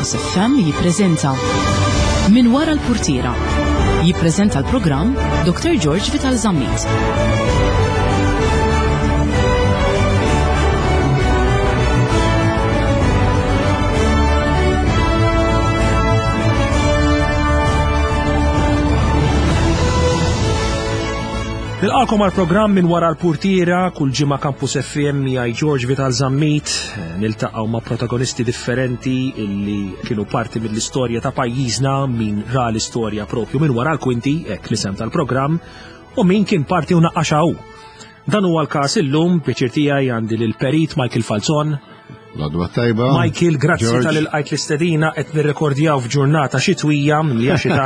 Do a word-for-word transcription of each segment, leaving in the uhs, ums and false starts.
Campus F M jippreżenta Min Wara l-Purtiera. Jippreżenta l-programm Doctor George Vital Zammit. Nilqakom għal programm Minn Wara l-Purtiera, kull ġimgħa Campus F M miegħi George Vital Zammit, niltaqgħu ma' protagonisti differenti illi kienu parti mill-istorja ta' pajjiżna, min ra l-istorja propju minn wara l-kwinti, hekk l-isem tal-programm, u min kien parti u naqqaxha hu. Dan huwa l-każ illum, pjaċir tiegħi għandi lil Perit Michael Falzon. L-għodwa t-tajba. Michael, grazzi George. talli lqajt l-istedina, qed nirrekordjaw f'ġurnata xitwija, li hija xita.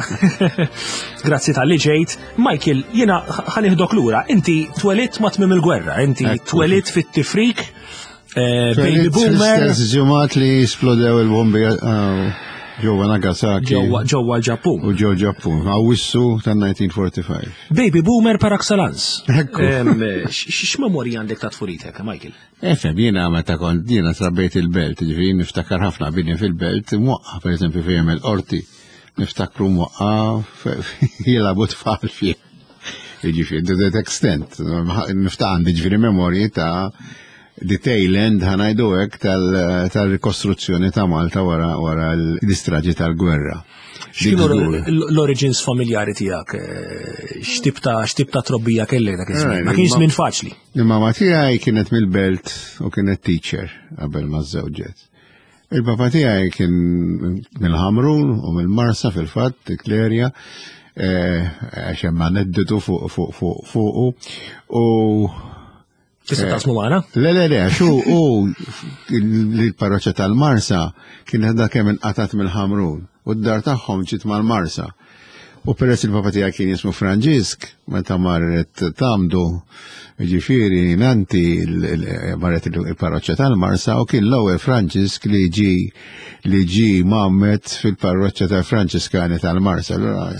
Grazzi talli ġejt. Michael, jiena ħa nieħdok lura. Inti twelidt ma' tmiem il-gwerra, inti Ekku. twelidt fit-tifrik, eh, baby Twelidt boomer. fl-istess ġimgħat li splodew il-bombi ah, ġewwa Nagasaki. Ġewwa ġewwa l-Ġappun. U ġew Ġappun, Awwissu tan-elf disa' mija u erbgħa u erbgħin. Baby boomer par excellence. Ekku. Em, x- X'memorji għandek ta' tfulitek, Michael? Efem, jiena meta kont, jiena trabbejt il-belt, ġifieri niftakar ħafna bini fil-belt, mwaqqa, per eżempju, fejn il-qorti, niftakru mwaqqa jilagħbu tfal fih. Ġifieri, to that extent, niftakar għandi ġifieri memorji ta' the tail end, ħa ngħidu hekk, tal-rikostruzzjoni ta' Malta wara wara l-istraġi tal-gwerra. X'kienu Dik żgur. l-origins familjari tiegħek? Eh, X'tip ta' x'tip ta' trobbija kellek dak iż-żmien? Ma Eh, kienx ma- żmien faċli. Il-mama tiegħi kienet mill-belt u kienet teacher qabel ma żżewġet. Il-papa tiegħi kien mill-Ħamrun u mill-Marsa fil-fatt, dik l-erja, eh, għax hemm aneddotu fuq fuq fuq fuqu u Tista' taqsmu magħna? Le, le, le, xu, u l-parroċċa tal-Marsa kienet da kemm inqatat mill-Ħamrun u d-dar tagħhom ġiet mal-Marsa. U peress il-papa tiegħi kien jismu Franġisk, meta marret tamdu, ġifieri nanti il- il- marret il-parroċċa tal-Marsa u kien l-ewwel Franġisk li ġi li ġi mgħammed fil-parroċċa tal-Franġiskani tal-Marsa. Allura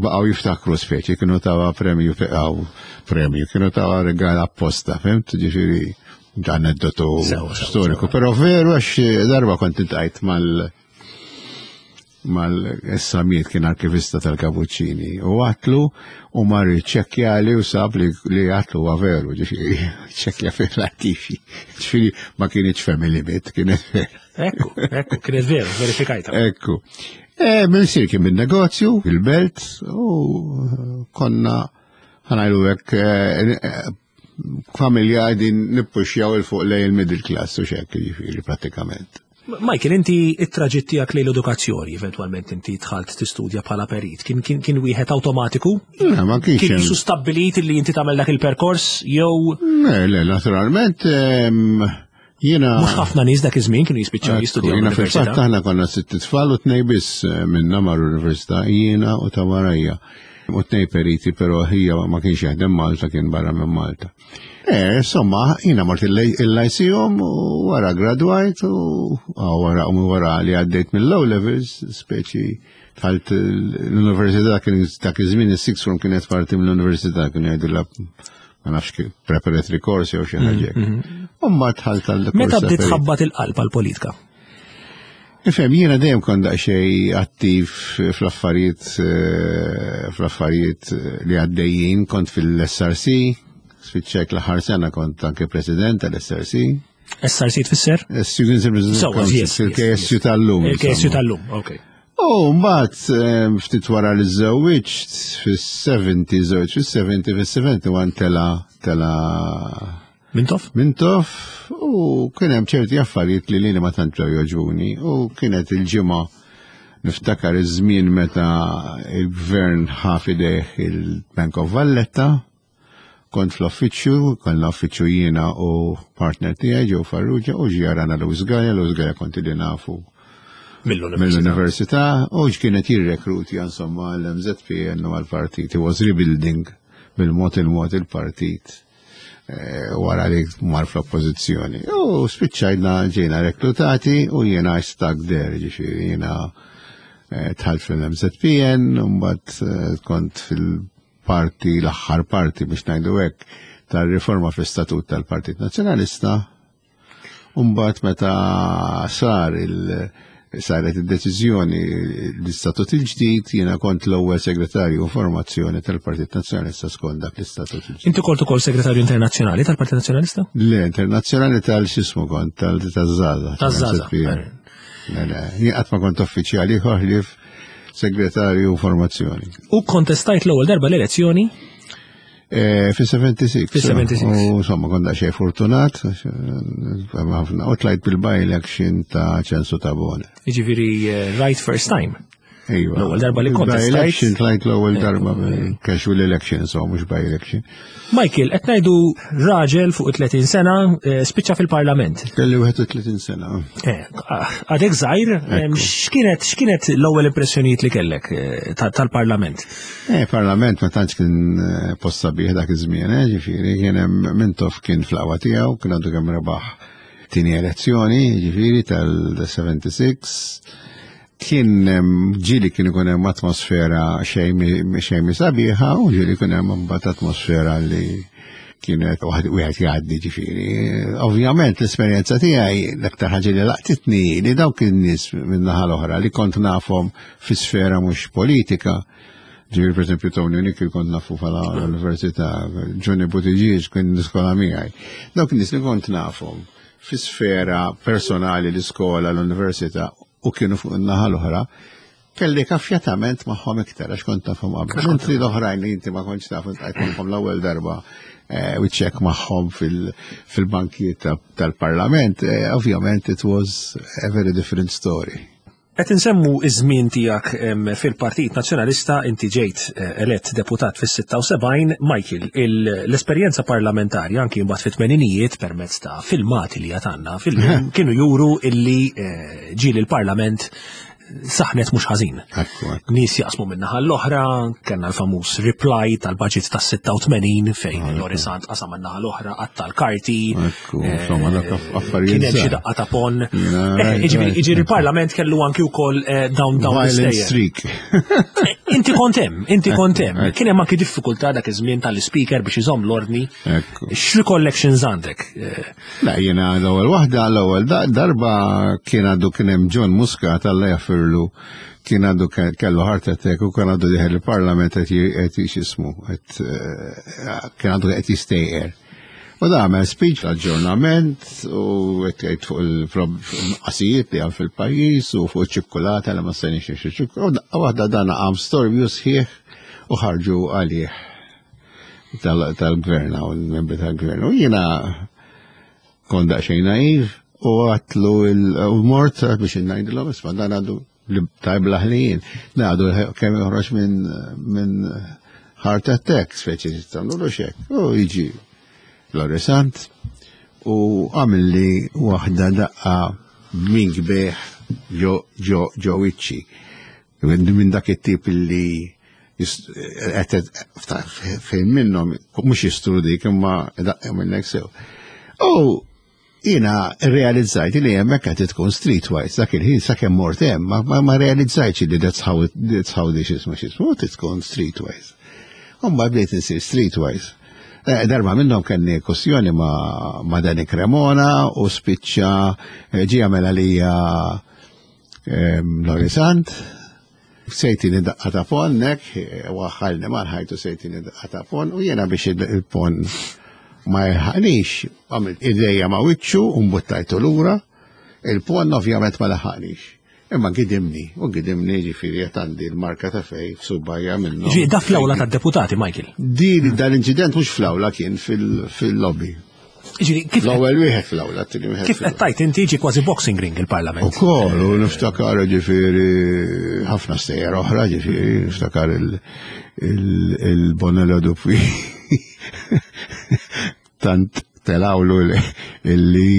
baqgħu jiftakru speċi, kienu tawa premju, għaw premju, kienu tawa regal apposta, fhimt? Ġifieri aneddotu Sewa, sewa, storiku, però veru għax darba kont iltqajt mal mal-essamiet kien arkivista tal-Kapuċċini u għedtlu u mar ċekkjali u sab li, li għedtlu huwa veru, ġifieri, ċekkja fil-arkivi. Ġifieri ma kienx family myth, kienet vera. Ekku, ekku, kienet veru, verifikajta. Ekku. E, Missier kien bin-negozju, il-belt, u konna ħa ngħidu hekk eh, eh, familja qegħdin nippuxjaw 'il fuq lejn il-middle class u xek, ġifieri, pratikament. Michael, inti it-traġitt tiegħek lejn l-edukazzjoni, eventwalment inti dħalt tistudja bħala perit, kien kien kien wieħed awtomatiku? Le, ma kienx Kien hemm- jisu stabbilit li inti tagħmel dak il-perkors jew Le, le, naturalment, em, jiena. Mhux ħafna nies dak iż-żmien kienu jispiċċaw jistudjaw Jiena fil-fatt l-università. aħna konna sitt tfal u tnej biss eh, minna marru l-università, jiena u ta' warajja. U tnej periti, pero hija ma kienx jaħdem Malta, kien barra minn Malta. Eh, insomma, jiena mort il-Lyceum u wara gradwajt u ah, wara u wara li għaddejt mill-O levels, speċi dħalt l-università, kien dak iż-żmien is-sixth form kienet parti mill-università, kien jgħidu ma nafx kif preparatory course jew xi ħaġa hekk. U mbagħad dħalt għal Meta kors ta' bdiet perit. tħabbat il-qalb għall-politika? Ifhem, jiena dejjem kont daqsxejn attiv fl-affarijiet eh, fl-affarijiet li għaddejjin, kont fil-S R C, spiċċajt l-aħħar sena kont anke president tal-S R C. S R C tfisser? Students Representative Sewwa, Council, yes, yes, il-K S U tal-lum. Il-K S U insomma. tal-lum, ok. U mbagħad eh, ftit wara li żewwiġt fis-sebgħin, żewġ fis-sebgħin, fis-sebgħa u sebgħin tela tela Mintoff? Mintoff u kien hemm ċerti affarijiet li lili ma tant ġew jogħġbuni u kienet il-ġimgħa, niftakar iż-żmien meta il-gvern ħa f'idejh il-Bank of Valletta, kont fl-uffiċċju, kont l-uffiċċju jiena u partner tiegħi ġew Farrugia u ġie jarana Louis Galea. Louis Galea kont ili nafu Mill-università. Mill-università u kienet jirrekruti insomma l-M Z P N u għal-partit. He was rebuilding bil-mod il-mod il-partit eh, wara li mar fl-oppożizzjoni. U spiċċajna ġejna reklutati u jiena I stuck there, ġifieri jiena eh, dħalt fil-M Z P N, u mbagħad eh, kont fil-parti, l-aħħar parti biex ngħidu hekk, tal-riforma fl-istatut tal-Partit Nazzjonalista. Umbat meta sar il- Saret id-deċiżjoni l-istatut il-ġdid, jiena kont l-ewwel segretarju formazzjoni tal-Partit Nazzjonalista skont dak l-istatut il-ġdid. Inti kont ukoll segretarju internazzjonali tal-Partit Nazzjonalista? Le, internazzjonali tal-xismu kont, tal-Żgħażagħ. Taż-Żgħażagħ. Le, le, jien qatt ma kont uffiċjali ħlief segretarju formazzjoni. U kontestajt l-ewwel darba l-elezzjoni? Eh, Fi sebgħa u sebgħin. Fi sebgħa u sebgħin. U insomma, kont daqsxejn fortunat, ħafna, u tlajt bil-by-election ta' Ċensu Tabone. Jiġifieri eh, right first time. Ejwa. L-ewwel darba li kontestajt. By-election tlajt l-ewwel darba, casual election, so mhux by-election. Michael, qed ngħidu raġel fuq tletin sena eh, spiċċa fil-Parlament. Kelli wieħed u tletin sena. Eh, Għadek żgħir, em, x'kienet x'kienet l-ewwel impressjonijiet li kellek eh, ta- tal-Parlament? Eh, parlament ma tantx kien eh, post sabiħ dak iż-żmien, eh, ġifieri kien hemm Mintoff kien fl-aqwa tiegħu, kien għadu kemm rebaħ tieni elezzjoni, ġifieri tal-sebgħa u sebgħin. Kien hemm ġieli kien ikun hemm atmosfera xejn mi- xejn mi sabiħa u ġieli kien hemm imbagħad atmosfera li kienet waħd wieħed jgħaddi ġifieri. Ovvjament l-esperjenza tiegħi, l-aktar ħaġa li laqtitni li dawk in-nies min-naħa l-oħra li kont nafhom fi sfera mhux politika. Ġifieri, per esempio, Tony Nickel kont nafu fala l-università, Johnny Buttigieg kien l-iskola miegħi. Dawk in-nies li kont nafhom fi sfera personali, l-iskola, l-università, u kienu fuq in-naħa l-oħra, kelli affjatament magħhom iktar għax kont nafhom qabel. Mentri l-oħrajn li inti ma kontx taf, għajt magħhom l-ewwel darba eh, u ċek magħhom fil-bankijiet tal-parlament, eh, ovvjament it was a very different story. Qed insemmu iż-żmien tiegħek em, fil-Partit Nazzjonalista, inti ġejt eh, elett deputat fis-sitta u sebgħin. Michael, il- l-esperjenza parlamentari anki mbagħad fit-tmeninijiet permezz ta' filmati li għatanna fil kienu juru illi eh, ġieli l-Parlament saħnet mhux ħażin. Ekku, ekku. Nies jaqsmu min-naħa l-oħra, kellna l-famuż reply tal-budget tas-sitta u tmenin fejn Lorry Sant qasam min-naħa l-oħra, qatta' l-karti. Ekku, insomma, dak affarijiet Kien hemm xi żgħar. daqqa ta' pon. Jiena, Eh, right, Jiġifieri right. jiġifieri il-Parlament kellu anki wkoll eh, dawn dawn Violent l-istejjer. streak. Eh, Inti kont hemm, inti kont hemm. Ekku. Kien hemm anki diffikultà dak iż-żmien tal-speaker biex iżomm l-ordni. Ekku. X'recollections għandek? Eh, La, jena l-ewwel waħda, l-ewwel da- darba kien għadu kien hemm John Muscat, Alla jaffirlu, kien għadu ke- kellu heart attack u kien għadu dieħel il-parlament qed j- qed x'ismu, qed eh, kien għadu qed jistejqer. U da għamel speech l-aġġornament u qed jgħid fuq il-qasijiet li għam fil-pajjiż u fuq iċ-ċikkulata li ma stajniex nixtru ċikkulata. U daqqa waħda dan qam storbju sħiħ u ħarġu għalih tal- tal-gvern u l-membri tal-gvern. U jiena kont daqsxejn naiv u għedtlu u mort biex ngħidilhom, isma', dan għadu li tajb laħlijin. Għadu kemm joħroġ minn min heart attack, speċi tagħmlu xek. U jiġi Lorry Sant u għamilli waħda daqqa minn kbeħ ġo ġo ġo wiċċi. Minn dak it-tip li fejn minnhom mhux jistrudik imma daqqa minnek sew. U jiena realizzajt li hemmhekk qed tkun streetwise dak il-ħin sakemm mort hemm ma, ma, ma realizzajtx li that's how it, that's how this is x'ismu tkun streetwise. Umma bdejt insir streetwise. Eh, darba minnhom kelli kwestjoni ma, ma Dani Cremona u spiċċa eh, ġie għamel għalija Lorry Sant, se jtini daqqa ta' pon, nek, waħħalni mal-ħajtu se jtini daqqa ta' pon, u jena biex il-pon ma jilħaqnix, għamilt idejja ma' wiċċu u mbuttajtu lura, il-pon ovvjament ma laħaqnix. Imma gidimni, u gidimni, ġifieri għandi l-marka ta' fej f'subgħajja minnu. Ġi, da fl-awla tad-deputati, Michael? Di dal-inċident mhux fl-awla, kien fil-lobby. Ġifieri, kif L-ewwel wieħed fl-awla, t-tieni wieħed. Kif qed tajt inti, ġi kważi boxing ring il-Parlament. Ukoll, u niftakar ġifieri ħafna stejjer oħra, ġifieri niftakar il-Bonello Dupuy. Tant telawlu illi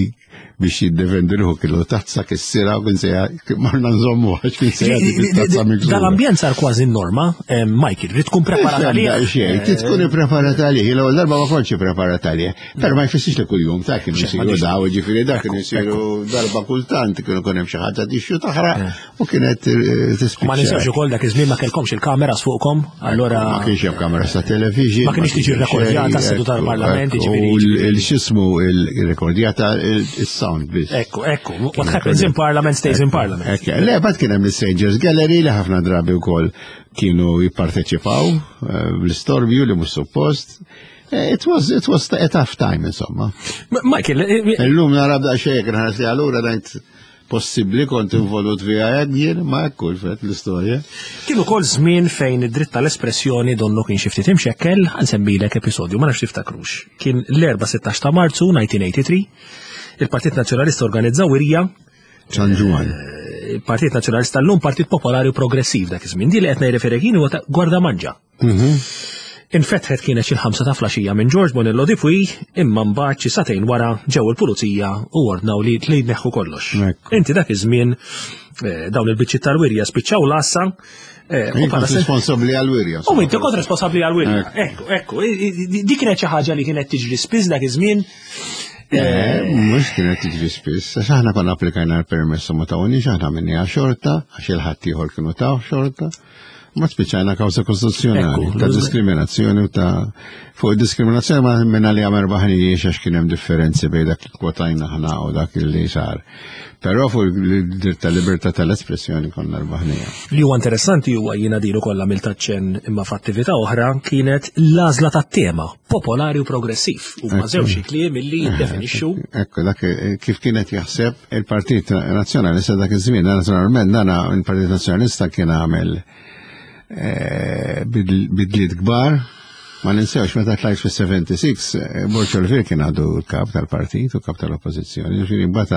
biex jiddefendi ruħu kellu tazza kissira u kien se marna nżommu għax kien se jagħti tazza miksura. Dal-ambjent sar kważi norma, eh, Michael, rrid tkun preparat għalih. Xejn, trid tkun ippreparat għalih. L-ewwel darba ma kontx ippreparat għalih. Però ma jfissirx li kuljum ta' kienu jsiru daw, ġifieri da kienu jsiru darba kultant, kienu kun hemm xi ħaġa tixxu taħraq u kienet eh, tispiċċa. Ma ninsewx ukoll dak iż-żmien ma kellkomx il-kameras fuqkom, allora Ma kienx hemm kameras ta' television. Ma kienx tiġi rekordjata s-seduta tal-Parlament, U ġifieri. l-xismu il-rekordjata il-sound sound biss. Ekku, ekku, what happens in Parliament stays in Parliament. Ekku, le, but kien hemm l-Strangers Gallery li ħafna drabi wkoll kienu jipparteċipaw eh, bl-istorbju li mhux suppost. Eh, It was, it was a tough time, insomma. M- Michael, eh, Illum nara b'daqsxejn nħares li allura ngħid possibbli kont involut fiha hekk jien, ma hekk fet l-istorja. Kien ukoll żmien fejn id-dritt tal-espressjoni donnu kien xi ftit imxekkel, ħa nsemmilek episodju, ma nafx tiftakrux. Kien l-erbgħa sittax ta' Marzu elf disa' mija tmienja u tmenin, il-Partit Nazzjonalista organizza wirja, San Ġwann. Il-Partit Nazzjonalista llum Partit Popolari u Progressiv dak iż-żmien. Di li qed nirreferi kien huwa ta' Gwardamanġa. Infetħet kienet xi ħamsa ta' filgħaxija minn George Bonello Di Puy, imma mbagħad xi sagħtejn wara ġew il-pulizija u ordnaw li li jneħħu kollox. Ekku. Inti dak iż-żmien eh, dawn il-biċċiet tal-wirja spiċċaw l-għassa. eh, u Jien bħala kont se- responsabbli għal-wirja. U inti kont responsabbli għal-wirja. Ekku, ekku, i- i- di kienet xi ħaġa li kienet tiġri spiss dak iż-żmien. Eh, Mhux kienet tiġri spiss, għax aħna konna applikajna l-permess u ma tawniex, aħna għamilnieha xorta, għax il-ħadd ieħor kienu taw xorta. Ma spiċċajna kawża kostituzzjonali Ekku, ta' diskriminazzjoni u ta' fuq diskriminazzjoni ma minna li għamer baħnijiex għax kien hemm differenzi bejn dak li kwotajna aħna u dak li sar. Però fuq il-dritt ta' libertà tal-espressjoni konna rbaħnija. Li huwa interessanti huwa jiena dilu kollha mill-taċċen imma f'attività oħra kienet l-għażla tat-tema popolari u progressiv u ma żewġ kliem illi jiddefinixxu. Ekku, dak eh, kif kienet jaħseb il-Partit Nazzjonalista dak iż-żmien, naturalment dana il-Partit Nazzjonalista kien għamel eh, bidl- bidliet kbar. Ma ninsewx meta tlajt fis-sebgħa u sebgħin, eh, Borg Olivier kien għadu l-kap tal-partit u kap tal-oppożizzjoni. Ġifieri mbagħad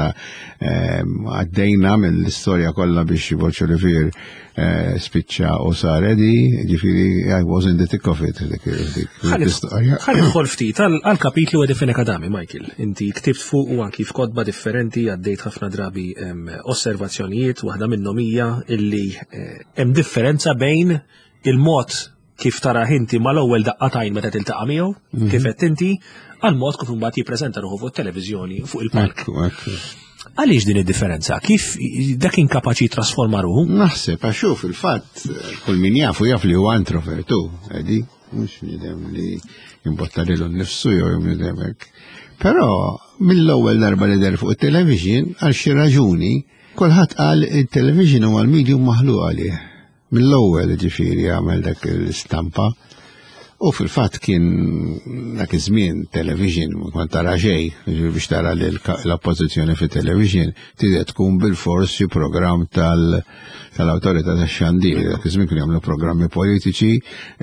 eh, għaddejna mill-istorja kollha biex Borg Olivier eh, spiċċa u sar Eddie, ġifieri I was in the thick of it dik dik l-istorja. Ħa nidħol ftit għal għal kapitlu Eddie Fenech Adami, Michael. Inti ktibt fuq u anki f'kotba differenti għaddejt ħafna drabi em, osservazzjonijiet, waħda minnhom hija illi eh, hemm differenza bejn il-mod kif tara inti mal-ewwel daqqa t'għajn meta tiltaqa' miegħu, kif qed inti, għal mod kif imbagħad jippreżenta ruħu fuq it-televiżjoni fuq il-palk. Ekku, ekku. Għaliex din id-differenza? Kif dak kien kapaċi trasforma ruħu? Naħseb, għax hu fil-fatt, kull min jafu jaf li huwa introvertu, Eddie, mhux bniedem li jimbotta lilu nnifsu jew bniedem hekk. Però mill-ewwel darba li deher fuq it-television, għal xi raġuni, kulħadd qal il-television huwa l-medium maħluq għalih. Mill-ewwel ġifieri għamel dak l-istampa. U fil-fatt kien dak iż-żmien television ma kont tara xejn, ġifieri biex tara l-oppożizzjoni fit television trid tkun bil-fors xi programm tal tal-awtorità tax-xandir. Dak iż-żmien kienu jagħmlu programmi politiċi,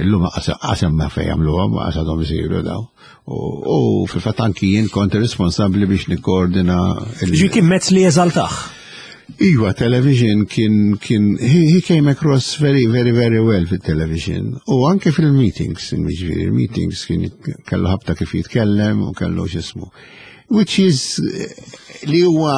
illum qasem ma fejn jagħmluhom, qasadhom isiru daw. U u fil-fatt anki jien kont responsabbli biex nikkoordina il- Ġi kien mezz li jeżaltah. Iva, television kien, kien, he, he came across very, very, very well fil-television. U anke fil-meetings, ġifieri, il-meetings kien kellu ħabta kif jitkellem u kellu x'ismu. Which is, eh, li huwa,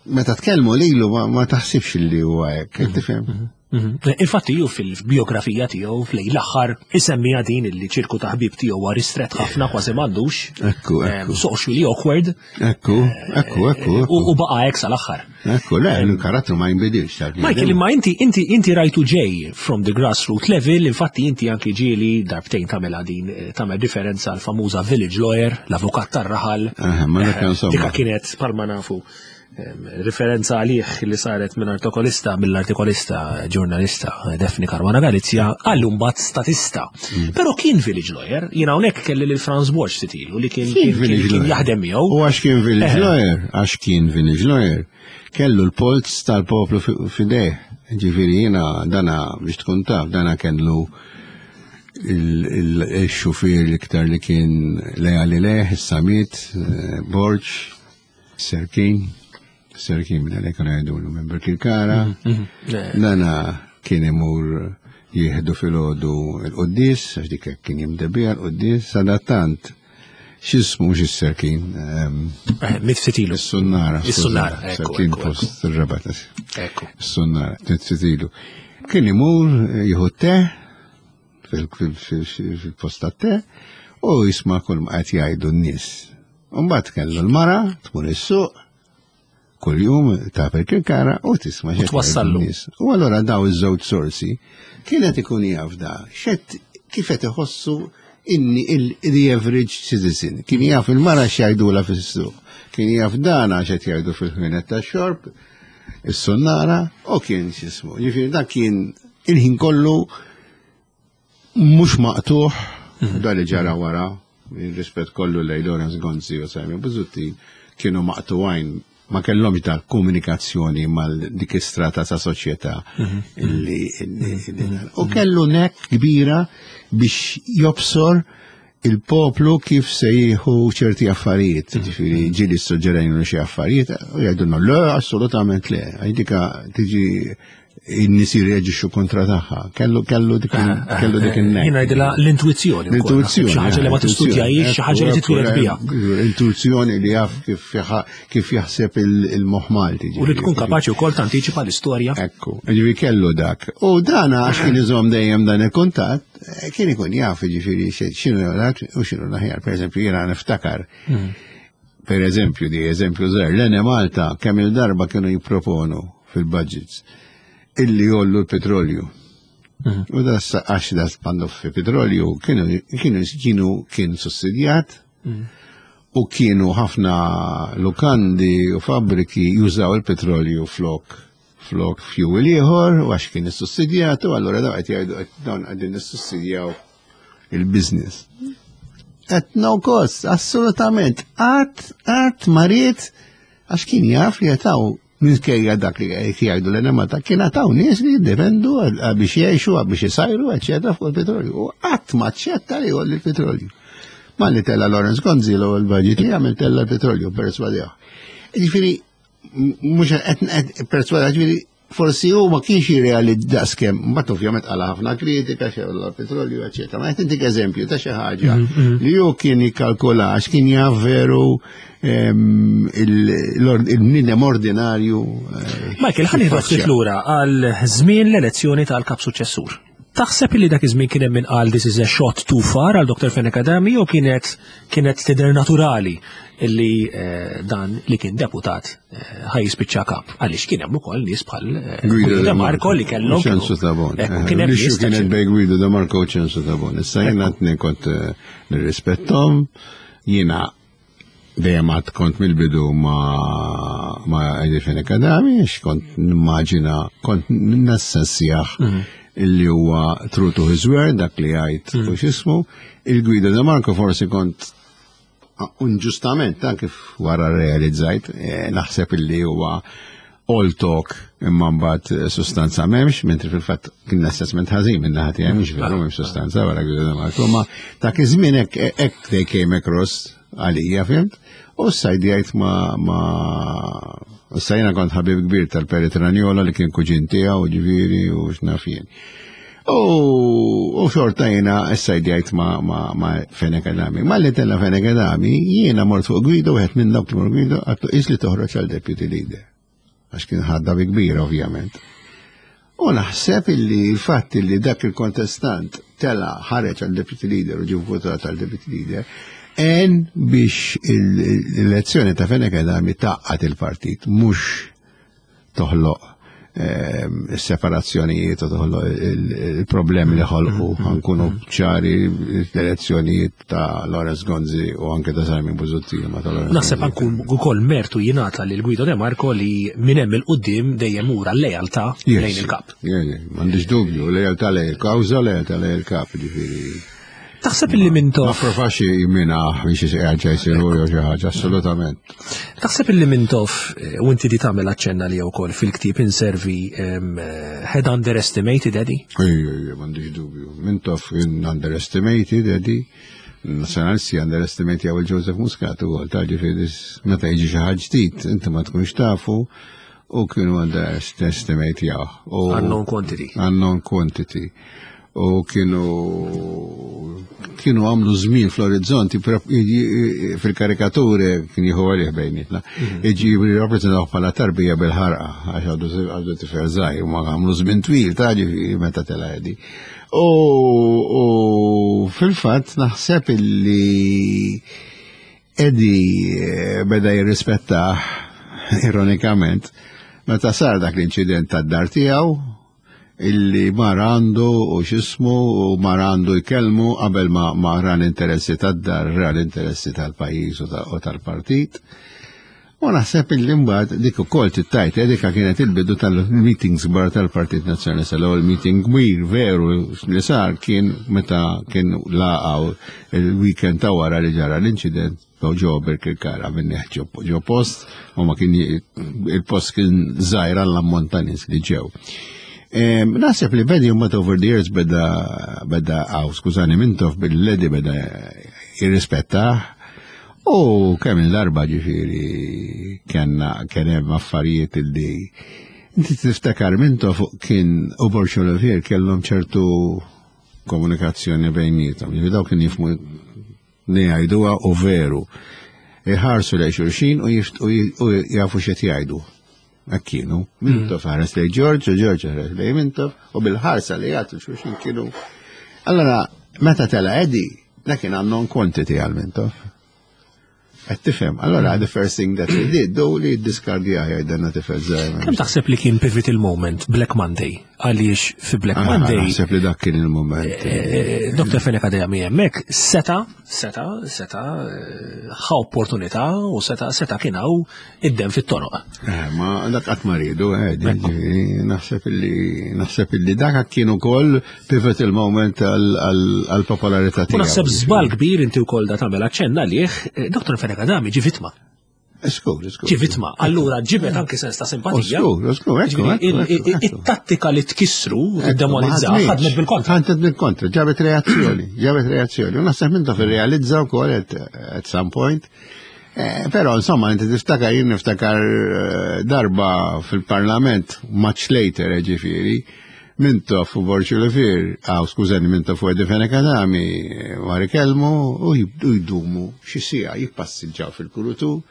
meta tkellmu lilu ma, ma taħsibx li huwa hekk, tifhem? Mhm. Infatti ju fil-biografija tiegħu f'lejn l-aħħar isemmiha din illi ċirku ta' ħbib tiegħu huwa ristret ħafna, kważi m'għandux. Ekku, ekku. Socially awkward. Ekku, ekku, ekku, U ekku. u baqa' hekk sal-aħħar. Ekku, le, il-karattru ma jinbidilx tal Michael, imma inti inti inti rajtu ġej from the grassroots level, infatti inti anki ġieli darbtejn tagħmel din eh, tagħmel differenza għal famuża village lawyer, l-avukat tar-raħal. Aha, ma dak Eh, insomma. Dika kienet palma nafu em, referenza għalih li saret minn artikolista, mill-artikolista ġurnalista Daphne Caruana Galizia, għallu mbagħad statista. Mm. Però kien village lawyer, jiena hawnhekk kelli lil Franz Borg titilu li kien kien- kien kien jaħdem miegħu. U għax kien village Eh. lawyer, għax kien village lawyer, kellu l-polz tal-poplu fi- f'idejh. Ġifieri jiena dana biex tkun taf, dana kellu il-xufier l-iktar li kien lejali lejh, il-Samit, eh, Borg, Serkin, Serkin minn għalek kienu jgħidulu minn Birkirkara. Eh, Dana kien imur jieħdu filgħodu il-qoddis, għax dik hekk kien jimdebija l-qoddis, sadattant, x'ismu mhux is-Serkin, ehm, eh, Mitfitilu. Is-Sunnara. Is-Sunnara, skużani, ekku, Serkin ekku, post ir-Rabat. Ekku. Is-Sunnara, mitfitilu. Kien imur jieħu te, fil-post te, u jisma' kull ma qed jgħidu n-nies. Mbagħad kellu l-mara tmur is-suq, kull-jum ta' Birkirkara u tisma' x'qed jgħidu twassallu. n-nies. U allura daw iż-żewġ sorsi kienet ikun jaf da, xed kif qed iħossu Inni the average citizen. Kien jaf il-mara x'jgħidula fis-suq. Kien jaf dana x'qed jgħidu fil-ħwienet tax-xorb, is-sunnara, u kien x'ismu. Ġifieri dak kien il-ħin kollu mhux maqtuħ mhm. Da li ġara wara, rispett kollu lejn Lawrence Gonzi u Simon Busuttil, kienu maqtuwajn, ma kellhomx da komunikazzjoni mal dik istrata ta' soċjetà mhm. illi mhm. u kellu knack kbira biex jobsor il-poplu kif se jieħu ċerti affarijiet, ġifieri ġieli suġġerejnu xi affarijiet, u jgħidulna le, assolutament le, għajdika tiġi in-nies jirreaġixxu kontra tagħha. Kellu kellu dik kellu dik in-knack. Jien ngħidilha l-intuizzjoni. L-intuizzjoni. Xi ħaġa li ma tistudjahiex, xi ħaġa li titwieled biha. Intuizzjoni li jaf kif kif jaħseb il-moħħ Malti. U li tkun kapaċi wkoll tantiċipa l-istorja. Ekku, ġifieri kellu dak. U dana għax kien iżomm dejjem dan il-kuntatt, kien ikun jaf ġifieri x'inhu dak u x'inhu l-aħjar. Per eżempju, jiena niftakar. Hmm. Per eżempju, di eżempju żgħir, l-Enemalta kemm il-darba kienu jipproponu fil-budgets illi jgħollu l-petrolju. Mhm. U da għax da spandu fi petrolju kienu kienu kienu kien sussidjat mhm. u kienu ħafna lukandi u fabbriki jużaw il-petrolju flok flok fuel ieħor u għax kien issussidjat, u allura daw qed jgħidu dawn qegħdin nissussidjaw il-business. At no cost, assolutament. Qatt, qatt ma ried, għax kien jaf li jataw minkejja dak li jgħidu l-Enemalta kien għataw nies li jiddependu biex jgħixu, biex jisajru, eccetera, fuq il-petrolju. U qatt ma ċetta li jgħolli il-petrolju. Ma li tella Lawrence Gonzi l budget li għamil tella l-petrolju perswadjaw. Ġifieri, mhux qed perswada, ġifieri forsi hu ma kienx jirrealizza daqskemm, mbagħad ovvjament qala ħafna kritika xew l-petrolju, eċetera. Ma qed intik eżempju ta' xi ħaġa mm, mm. li hu kien jikkalkula għax kien jaf veru il-bniedem ordinarju. Eh, Michael, ħalli ftit lura għal żmien l-elezzjoni tal-kap suċessur. Taħseb li dak iż-żmien kien hemm min qal "This is a shot too far" għal Doctor Fenech Adami, jew kienet kienet tidher naturali illi eh, dan li kien deputat eh, ħaj jispiċċa kap? Għaliex kien hemm ukoll nies bħal eh, Guido De Marco li kellhom. Ċensu Tabone. Kien hemm nies kienet bej Guido De Marco u Ċensu Tabone. Issa jiena kont nirrispettom, jiena dejjem għad kont mill-bidu ma ma Eddie Fenech Adami, għax kont nimmaġina, kont nassessjah mhm. illi huwa true to his word, dak li għajt u mhm. x'ismu. Il-Guido De Marco forsi kont unġustament, ta' kif wara realizzajt, eh, naħseb illi huwa all talk imma mbagħad eh, sustanza m'hemmx, mentri fil-fatt kien assessment ħażin minn naħa tiegħi, mhux veru m'hemm sustanza wara Guido De Marco, ma dak iż-żmien hekk hekk they came across għalija, fhimt? U s-sajdijajt ma ma issa jiena kont ħabib kbir tal-Perit Ranjola li kien kuġin tiegħu, ġifieri u x'naf jien. U xorta jiena s-sajdijajt ma ma ma Fenech Adami. Ma li tella Fenech Adami, jiena mort fuq Guido, wieħed minn dawk li mort Guido, għedtlu is li toħroġ għal deputy leader. Għax kien ħadda bi kbira, ovvjament. U naħseb illi il-fatt illi dak il-kontestant tela ħareġ għal deputy leader u ġie votat għal deputy leader, en biex l-elezzjoni ta' Fenech Adami tgħaqqad il-partit, mhux toħloq ehm, separazzjonijiet u toħloq il-problemi li ħolqu, ħa nkunu ċari, l-elezzjonijiet ta' Lawrence Gonzi u anke ta' Simon Busuttil ma ta' Lawrence Naħseb Gonzi. anku ukoll mertu jingħata lil Guido De Marco li minn hemm il-qudiem dejjem ura l-lealtà Yes. lejn il-kap. Yeah, yeah, m'għandix dubju, lealtà lejn il-kawża, lealtà lejn il-kap, ġifieri. Taħseb illi Ma Mintoff provax jimina biex jgħadġa jisiru jew xi ħaġa, assolutament. Taħseb illi Mintoff, eh, u inti di tagħmel aċċenna li wkoll fil-ktieb Inservi, em, eh, had underestimated Eddie? Ejja, ejja, m'għandix dubju. Mintoff kien underestimated Eddie. Nazzjonalisti underestimate jew il-Joseph Muscat ukoll, ta' ġifieri meta jiġi xi ħaġa ġdid, inti ma tkunx tafu u kienu underestimate jaw. U Unknown quantity. Unknown quantity. U kienu kienu għamlu żmien fl-orizzont fil-karikature kien jieħu għalih bejnietna. Iġi jirrappreżentaw bħala tarbija bil-ħarqa għax għadu għadu tifel żgħir, ma għamlu żmien twil ta' ġifieri meta tela' Eddie. U u fil-fatt naħseb illi Eddie eh, beda jirrispettah ironikament meta sar dak l-inċident tad-dar tiegħu. Illi mar għandu u x'ismu u mar għandu jkellmu qabel ma, ma ra l-interessi tad-dar, ra l-interessi tal-pajjiż u ta- u tal-partit. U naħseb illi mbagħad dik ukoll tittajt, eh, dikka kienet il-bidu tal-meetings kbar tal-Partit Nazzjonalista. L-ewwel meeting kbir veru li sar kien meta kien laqgħu il-weekend ta' wara li ġara l-inċident ġo Birkirkara minn ġo post u ma kien il-post kien żgħir għall-ammont ta' nies li ġew. Em, Naħseb li Eddie mbagħad over the years beda beda għaw, skużani, Mintoff lil Eddie beda jirrispettah. U kemm il-darba ġifieri kellna kien hemm affarijiet illi inti tiftakar Mintoff kien u Borg Olivier kellhom ċertu komunikazzjoni bejniethom. Ġifieri daw kien jifhmu li jgħiduha u veru. Iħarsu lejn xulxin u jift- u j- u jafu x'qed jgħidu. Hekk kienu. Mintoff ħares lejn George u George ħares lejn Mintoff u bil-ħarsa li jagħtu xulxin kienu. Allora, meta tela Eddie, dak kien unknown quantity għal Mintoff. Qed tifhem. Allora, the first thing that he did, do li diskardja jgħidanna tifel żgħir. Kemm taħseb li kien pivotal moment Black Monday? Għaliex fi Black Ah, Monday Naħseb li dak kien il-moment. eh, Dottor Fenech Adami hemmhekk seta, seta, seta, eh, ħa opportunità u seta, seta kien hawn id-dem fit-toroq. Eh, ma dak qatt ma riedu, eh, ġifieri, naħseb illi naħseb illi dak kien ukoll pivotal moment għal-popolarità U tiegħu. naħseb żball kbir inti wkoll da tagħmel aċċenna għalih, eh, Dottor Fenech Adami ġi vittma. Skur, skur. Ġi vittma. Allura ġibet anki sens ta' simpatija. Skur, skur, ekku, Ġifieri, ekku, il- ekku, il- ekku. It-tattika li tkissru, Ekku, tiddemonizza, ma ħadmitx. ħadmet bil-kontra. Ħadmet bil-kontra, ġabet reazzjoni, ġabet reazzjoni. U naħseb minn realizza wkoll at, at some point. Eh, però insomma, inti tiftakar, jien niftakar eh, darba fil-parlament, much later, eh, ġifieri, Mintoff u Borg Olivier, għaw skużani, Mintoff u Eddie Fenech Adami, war ikellmu u jibdu jdumu xi siegħa jippassiġġaw fil-kurutur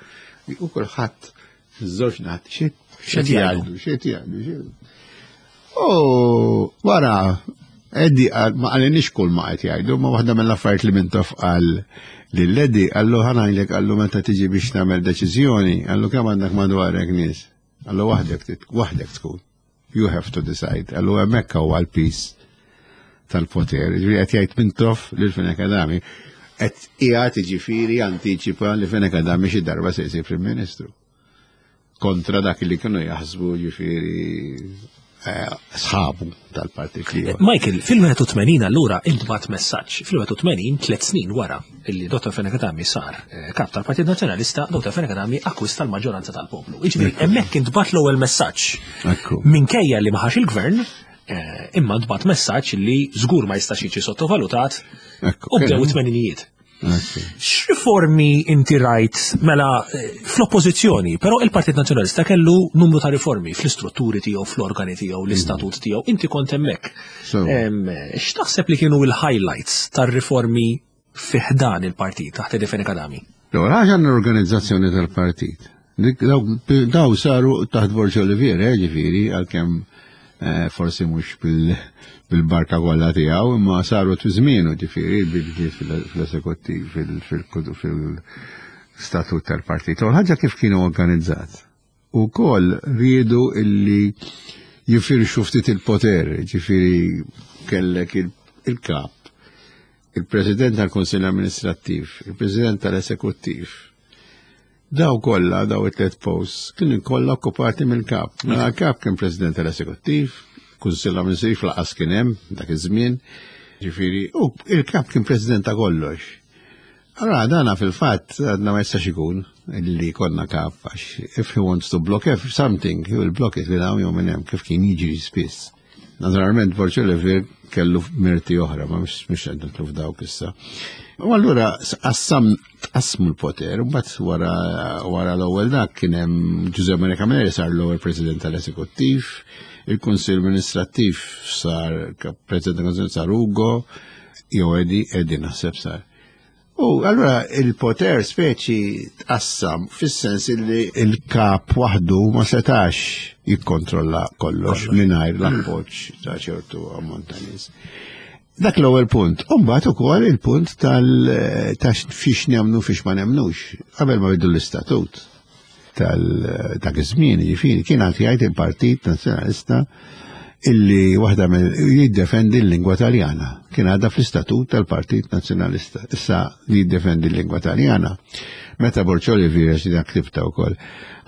u kulħadd żewġ naħat xi X'qed jgħidu? xi jgħidu, xi U wara, Eddie qal, ma qalilniex kull ma qed jgħidu, ma waħda mill-affarijiet li Mintoff qal lil Eddie, qallu ħa ngħidlek, qallu meta tiġi biex tagħmel deċiżjoni, qallu kemm għandek madwarek nies. Qallu waħdek tit- waħdek tkun. You have to decide. Qallu hemmhekk huwa l-piż tal-poter. Ġifieri qed jgħid Mintoff lil Fenech Adami qed qiegħed jiġifieri antiċipa li Fenech Adami xi darba se jsir Prim Ministru. Kontra dak li kienu jaħsbu ġifieri eh, sħabu tal-partit li Michael, fil-81 allura intbagħat messaġġ. Fil-81, tliet snin wara illi Dottor Fenech Adami sar eh, kap tal-Partit Nazzjonalista, Dottor Fenech Adami akkwista l-maġġoranza tal-poplu. Jiġifieri hemmhekk intbagħat l-ewwel messaġġ. Ekku. Minkejja li ma ħax il-gvern, eh, imma ntbagħat messaġġ li żgur ma jistax jiġi sottovalutat Ekku. u bdew it-tmeninijiet. Ekku. X'riformi inti rajt mela eh, fl-oppożizzjoni, però il-Partit Nazzjonalista kellu numru ta' riformi fl-istrutturi tiegħu, fl-organi tiegħu, l-istatut tiegħu, inti kont hemmhekk. So. Em, X'taħseb li kienu il-highlights tar-riformi fi ħdan il-partit taħt Eddie Fenech Adami? L-ewwel ħaġa l-organizzazzjoni tal-partit. Dik- Daw daw saru taħt Borg Olivier, eh, ġifieri, għalkemm eh, forsi mhux bil- bil-barka kollha tiegħu, imma saru fi żmienu ġifieri bil-bidliet fil-esekuttiv, fil-statut tal-partit. U ħaġa kif kienu organizzat. U koll riedu illi jifirxu ftit il-poter, ġifieri kellek il- il-kap, il-President tal-Konsil Amministrattiv, il-President tal-Esekuttiv. Daw kollha, daw it-tliet posts, kienu kollha okkupati mill-kap. Mela l-kap kien President tal-Esekuttiv, Kunsill Amministrattiv lanqas kien hemm dak iż-żmien. Ġifieri, u il-kap kien President ta' kollox. Allora dana fil-fatt għadna ma jistax ikun illi konna kap għax if he wants to block if something, he will block it minn hawn jew minn hemm kif kien jiġri spiss. Naturalment Borg Olivier kellu merti oħra, ma mhux mhux qed nidħlu f'dawk issa. U allura qassam tqassmu l-poter, u mbagħad wara wara l-ewwel dak kien hemm Giuseppe Maria Camilleri sar l-ewwel President tal-Esekuttiv, il-Kunsill Amministrattiv sar President tal-Kunsill sar Ugo, jew Eddie, Eddie naħseb sar. U allura il-poter speċi tqassam fis-sens li il-kap waħdu ma setax jikkontrolla kollox mingħajr l-appoġġ ta' ċertu ammont ta' nies. Dak l-ewwel punt. U mbagħad ukoll il-punt tal ta' fiex nemnu fiex ma nemnux. Qabel ma bidu l-istatut tal dak iż-żmien, jiġifieri kien għad jgħid il-Partit Nazzjonalista Illi waħda mill jiddefendi l-lingwa Taljana. Kien għadha fl-istatut tal-Partit Nazzjonalista. Issa li jiddefendi l-lingwa Taljana. Meta Borg Olivier, xi dak ktibta wkoll,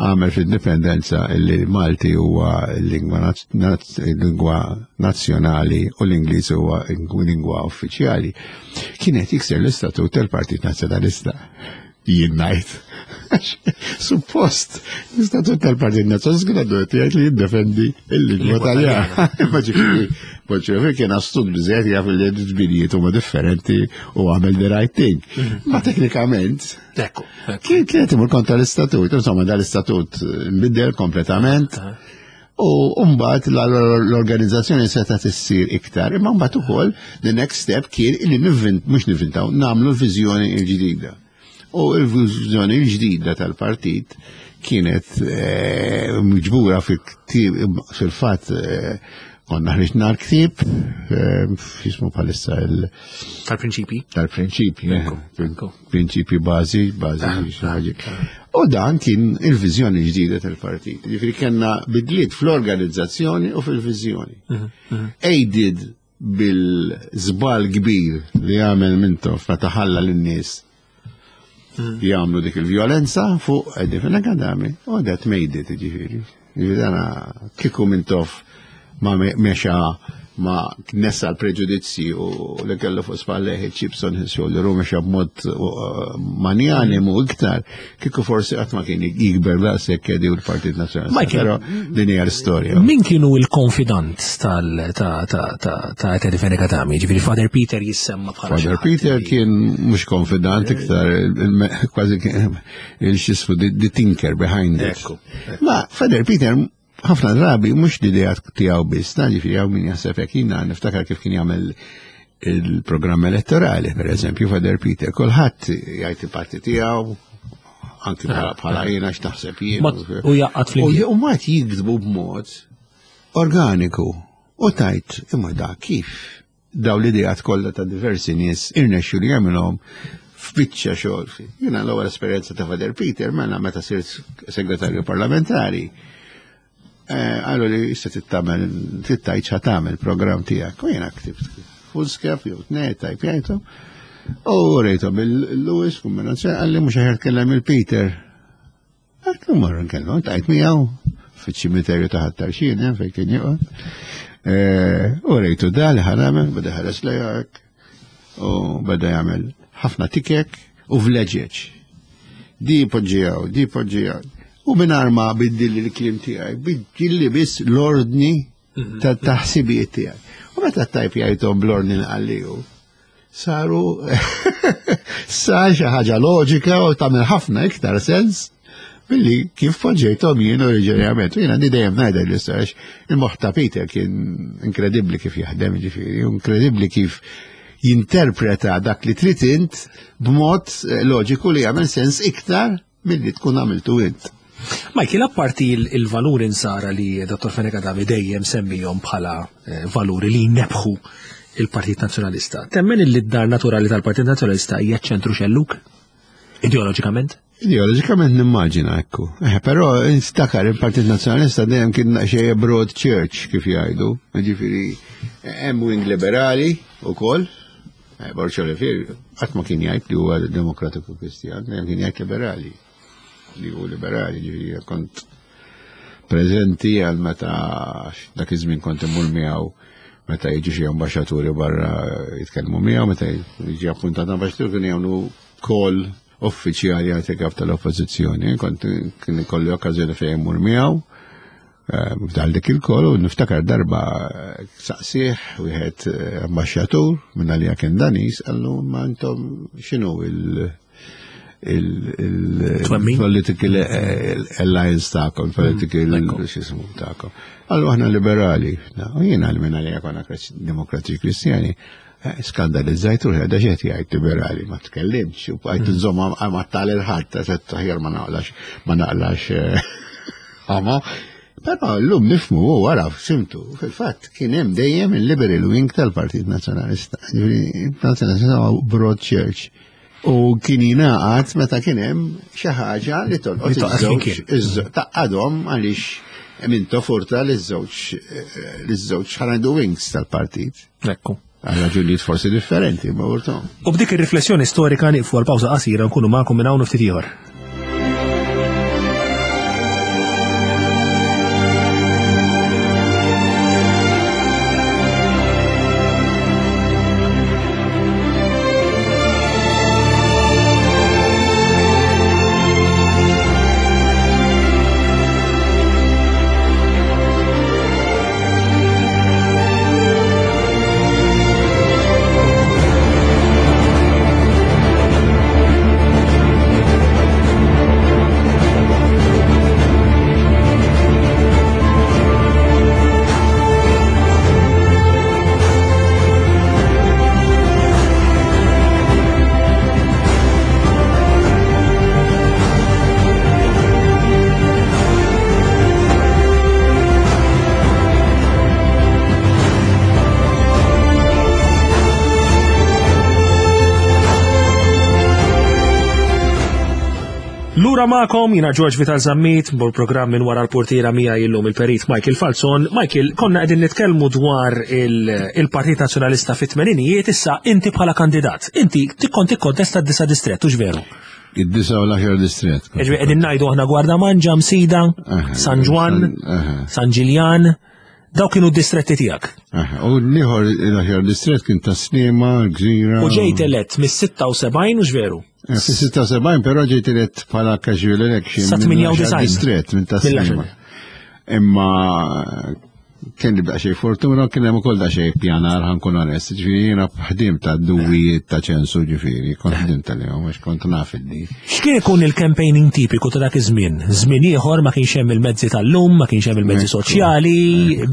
għamel fl-indipendenza illi Malti huwa l-lingwa lingwa nazzjonali u l-Ingliż huwa lingwa uffiċjali, kienet jikser l-istatut tal-Partit Nazzjonalista. Jien ngħid. Suppost, l-istatut tal-Partit Nazzjonalista kien għandu jgħid li jiddefendi il-lingwa Taljana. Imma ġifieri, Borg Olivier kien astut biżejjed, jaf li l-ġbirijiet huma differenti u għamel the right thing. Ma teknikament, Ekku. kien kienet imur kontra l-istatut, insomma dal-istatut nbidel kompletament. U mbagħad l-organizzazzjoni seta' issir iktar, imma mbagħad ukoll the next step kien illi nivvint, mhux nivvintaw, nagħmlu l-viżjoni l-ġdida. U l-viżjoni l-ġdida tal-partit kienet eh, miġbura fil-ktieb, fil-fatt eh, konna ħriġna l-ktieb, eh, jismu bħalissa il- Tal-prinċipi. Tal-prinċipji, Ekku, ekku. prinċipji bażi, bażi xi ħaġa. U dan kien il-viżjoni ġdida tal-partit. Ġifieri kellna bidliet fl-organizzazzjoni u fil-viżjoni. Aided bil-żball kbir li għamel Mintoff meta ħalla lin-nies jagħmlu dik il-vjolenza fuq Eddie Fenech Adami, u that made it, ġifieri. Ġifieri dana kieku Mintoff ma me- mexa ma nessa l-preġudizzi u li kellu fuq spalleħ chips on his shoulder u mexa b'mod uh, manjanimu iktar, kieku forsi qatt ma kien jikber daqshekk Eddie u l-Partit Nazzjonalista. Michael, Però din hija l-istorja. Min kienu il-konfidant tal ta' ta' ta' ta' Eddie Fenech Adami? Ġifieri Father Peter jissemma bħala Father xi ħadd Peter li- kien mhux konfidant iktar, il- kważi kien il-xismu the thinker behind it. Ekku, Ma Father Peter ħafna drabi mhux l-idea tiegħu biss, ta' ġifieri hawn min jaħseb hekk. Jiena niftakar kif kien jagħmel il-programm elettorali, per eżempju, Father Peter, kulħadd jgħid il-parti tiegħu, anki bħala bħala jiena x'taħseb jien. Ma- u jaqgħad flimkien. U mbagħad jiktbu b'mod organiku. U tajt, imma da kif daw l-idejat kollha ta' diversi nies irnexxu li jagħmilhom f'biċċa xogħol. Jiena l-ewwel esperjenza ta' Father Peter mela meta sirt segretarju parlamentari. Eh, Għallu li issa tittamel, tittajt xa tagħmel programm tiegħek. U jiena ktibt foolscap jew tnejn tajpjajthom. U rejthom il-Lewis kombinazzjoni, qalli mhux aħjar tkellem il-Peter. Għedtlu morru nkellmu, tajt miegħu fiċ-ċimiterju ta' Ħat-Tarxien, eh, fejn kien joqgħod. Eh, U rejtu da li ħa nagħmel, beda ħares lejak u beda jagħmel ħafna tikek u vleġeġ. Di poġġijaw, di poġġijaw. U mingħajr ma biddilli l-kliem tiegħi, biddilli biss l-ordni ta' taħsibijiet tiegħi. U meta tajpjajthom bl-ordni li għalliju, saru sa xi ħaġa loġika u tagħmel ħafna iktar sens billi kif poġġejthom jien oriġinarjament. U jiena għandi dejjem ngħidha l-istorja, il-moħħ ta' Peter kien inkredibbli kif jaħdem, ġifieri, inkredibbli kif jinterpreta dak li trid int b'mod eh, loġiku li jagħmel sens iktar milli tkun għamiltu int. Michael, apparti il- il-valuri nsara li Dottor Fenech Adami dejjem semmihom bħala eh, valuri li jnebħu il-Partit Nazzjonalista, temmen li d-dar naturali tal-Partit Nazzjonalista hija ċentru xelluk? Ideoloġikament? Ideoloġikament nimmaġina ekku. Eh, però instakar il-Partit Nazzjonalista dejjem kien xejn broad church kif jgħidu. Ġifieri hemm wing liberali wkoll. Eh, Borg Olivier qatt ma kien jgħid li huwa demokratiku Kristjan, dejjem kien jgħid liberali. Li hu liberali, ġifieri kont preżenti għal meta dak iż-żmien kont immur miegħu meta jiġu xi ambaxxaturi barra jitkellmu miegħu, meta jiġi appuntat ambaxxatur kien jagħmlu call uffiċjali għal kap tal-oppożizzjoni, kont kien ikolli okkażjoni fejn immur miegħu. eh, F'dal dik il-call u niftakar darba eh, saqsih wieħed eh, ambaxxatur minn għalija kien Danis, qallu ma intom x'inhu il- il- Twemmin? il-political eh, alliance tagħkom, political ekku. x'ismu tagħkom. Qallu aħna liberali. Na, u jiena minn għalija konna demokratiċi kristjani, eh, skandalizzajt u għada xed jgħid liberali, ma tkellimx, u għajt nżomma ma tal il-ħadd, għedt aħjar ma naqlax, ma naqlax eh, għama. Però l-lum nifhmu u wara simtu, fil-fatt kien hemm dejjem il-liberal wing tal-Partit Nazzjonalista. Ġifieri, il-Partit Nazzjonalista huwa broad church. U kien jingħaqad meta kien hemm xi ħaġa li tolqot Li tolqot iż-żewġ flimkien. iż- taqadhom għaliex Mintoff urta l-żewġ l-żewġ ħanajdu wings tal-partit. Ekku. Għal raġunijiet forsi differenti, ma urtom. U b'dik ir-riflessjoni storika nieqfu għal pawża qasira nkunu magħkom minn hawn u ftit ieħor. Lura magħkom, jiena George Vital Zammit, bol programm minn wara l-portiera mija illum il-perit Michael Falzon. Michael, konna qegħdin nitkellmu dwar il-Partit Nazzjonalista fit-tmeninijiet, issa inti bħala kandidat. Inti tikkont tikkontesta d-disa distret, hux veru? Id-disa u l-aħjar distret. Ġifieri qegħdin ngħidu aħna Gwardamanġa, Msida, San Ġwann, San Ġiljan, daw kienu d-distretti tiegħek. U l-ieħor l-aħjar distret kien ta' Sliema, Gżira. U ġejt elett mis-sitta u sebgħin, hux veru? Fis-sitta u sebgħin però ġejt elett bħala casual election. Sa tmienja u disgħin. Distret minn ta' Sliema. Imma kien li daqsxejn fortuna, kien hemm ukoll daqsxejn pjanar, ħankun onest. Ġifieri jiena ħdim ta' duwijiet ta' ċensu, ġifieri, kont ħdim tal-jom, għax kont naf id-di. X'kien ikun il-campaigning tipiku ta' dak iż-żmien? Żmien ieħor ma kienx hemm il-mezzi tal-lum, ma kienx hemm il-mezzi soċjali,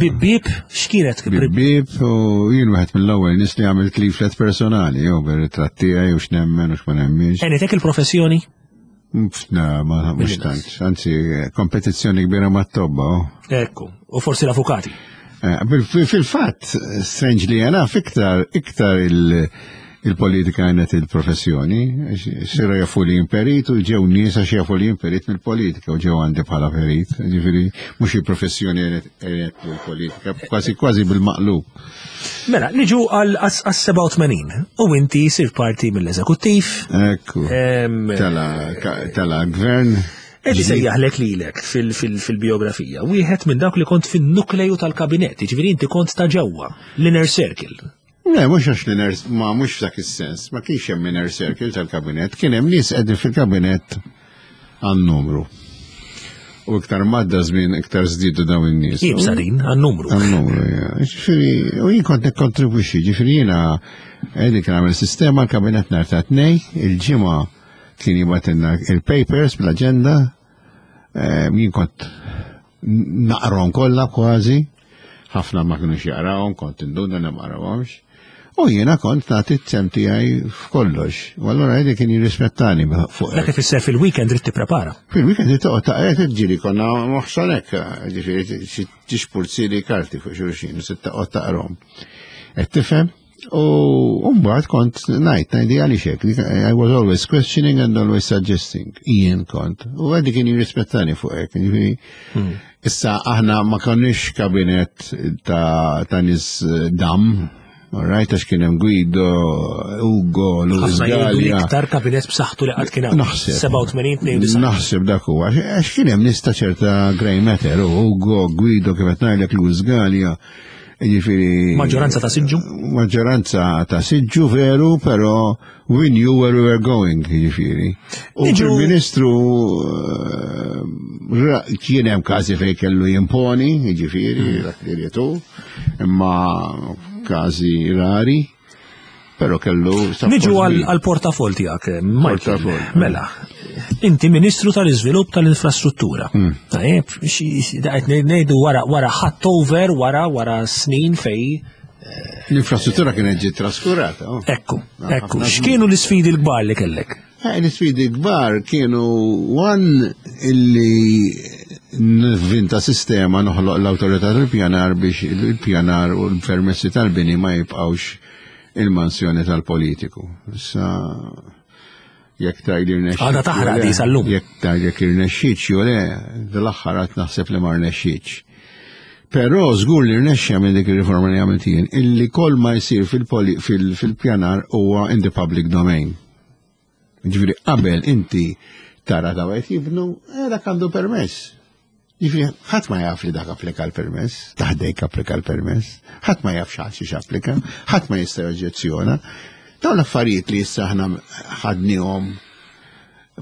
bib bib, x'kienet? Bib bib, u jien wieħed mill-ewwel nies li għamilt leaflet personali, jew bir-ritratt tiegħi u x'nemmen u x'ma nemminx. Għenitek il-professjoni? Na, ma mhux tant, anzi kompetizzjoni kbira mat-tobba. Ekku, u forsi l-avukati. Fil-fatt, strangely enough, iktar iktar il-politika għenet il-professjoni, sira jafu li imperit u ġew nies għax jafu li imperit mill-politika u ġew għandi bħala perit, ġifieri mhux il-professjoni għenet il-politika, kważi kważi bil-maqlub. Mela, niġu għal seba' u tmenin u inti sir parti mill-eżekuttiv. Ekku. Tala gvern. Eġi sejjaħlek lilek fil-biografija, wieħed minn dawk li kont fin-nukleju tal-kabinett, ġifieri inti kont ta' ġewwa, l-inner circle. Le, mhux għax l-inner, ma mhux f'dak is-sens, ma kienx hemm inner circle tal-kabinett, kien hemm nies qegħdin fil-kabinett għan-numru. U iktar madda żmien iktar żdiedu dawn in-nies. Ibsa din għan-numru. Għan-numru, ja. Ġifieri, u jien kont nikkontribwixxi, ġifieri jiena qegħdin kien għamel sistema l-kabinett nhar ta' tnejn, il-ġimgħa kien jibgħatilna il-papers bl-aġenda, jien kont naqrahom kollha kważi, ħafna ma kinux jaqrawhom, kont induna li ma qrawhomx. U jiena kont nagħti t-sem tiegħi f'kollox. U allura għedi kien jirrispettani fuq. Dak ifisser fil-weekend trid tipprepara. Fil-weekend trid toqgħod taqra tiġri konna moħsonek, ġifieri tixpulzi li karti fuq xulxin, se toqgħod taqrahom. Qed tifhem? U mbagħad kont ngħid, ngħidi għaliex hekk, I was always questioning and always suggesting. Jien kont. U għedi kien jirrispettani fuq hekk, ġifieri. Issa aħna ma konniex kabinett ta' nies dam. All right, għax kien hemm Guido, Ugo, Luis Gallia. Iktar kabinett b'saħħtu li qatt kien hawn. Naħseb. seba' u tmenin, tnejn u disgħin. Naħseb dak huwa. Għax kien hemm nies ta' ċerta grey matter, Ugo, Guido, kif qed ngħidlek, Luis Gallia. Jiġifieri Maġġoranza ta' siġġu? Maġġoranza ta' siġġu veru, però we knew where we were going, jiġifieri. U il-Ministru kien hemm każi fejn kellu jimponi, jiġifieri, dak li rietu, imma każi rari, però kellu Niġu għal portafol tiegħek, Michael. Mela, inti Ministru tal-Iżvilupp tal-Infrastruttura. Tajjeb, qed ngħidu wara wara ħadd over wara wara snin fej. L-infrastruttura kienet ġiet traskurata. Ekku, ekku. X'kienu l-isfidi l-kbar li kellek? L-isfidi kbar kienu one illi nivvinta sistema noħloq l-awtorità tal-pjanar biex il-pjanar u l-permessi tal-bini ma jibqgħux il-mansjoni tal-politiku. Issa Jekk tgħid irnexxiet. Għadha taħraq di sal-lum. Jekk tgħid jekk irnexxietx jew le, dal-aħħar għad naħseb li ma rnexxietx. Però żgur li rnexxa minn dik ir-riforma li għamilt jien, illi kull ma jsir fil-pjanar huwa in the public domain. Ġifieri qabel inti tara ta' għajt jibnu, eh, dak għandu permess. Ġifieri ħadd ma jaf li dak applika l-permess, taħdejk applika l-permess, ħadd ma jaf xi xi applika, ħadd ma jista' joġġezzjona. Dawn l-affarijiet li issa aħna ħadnihom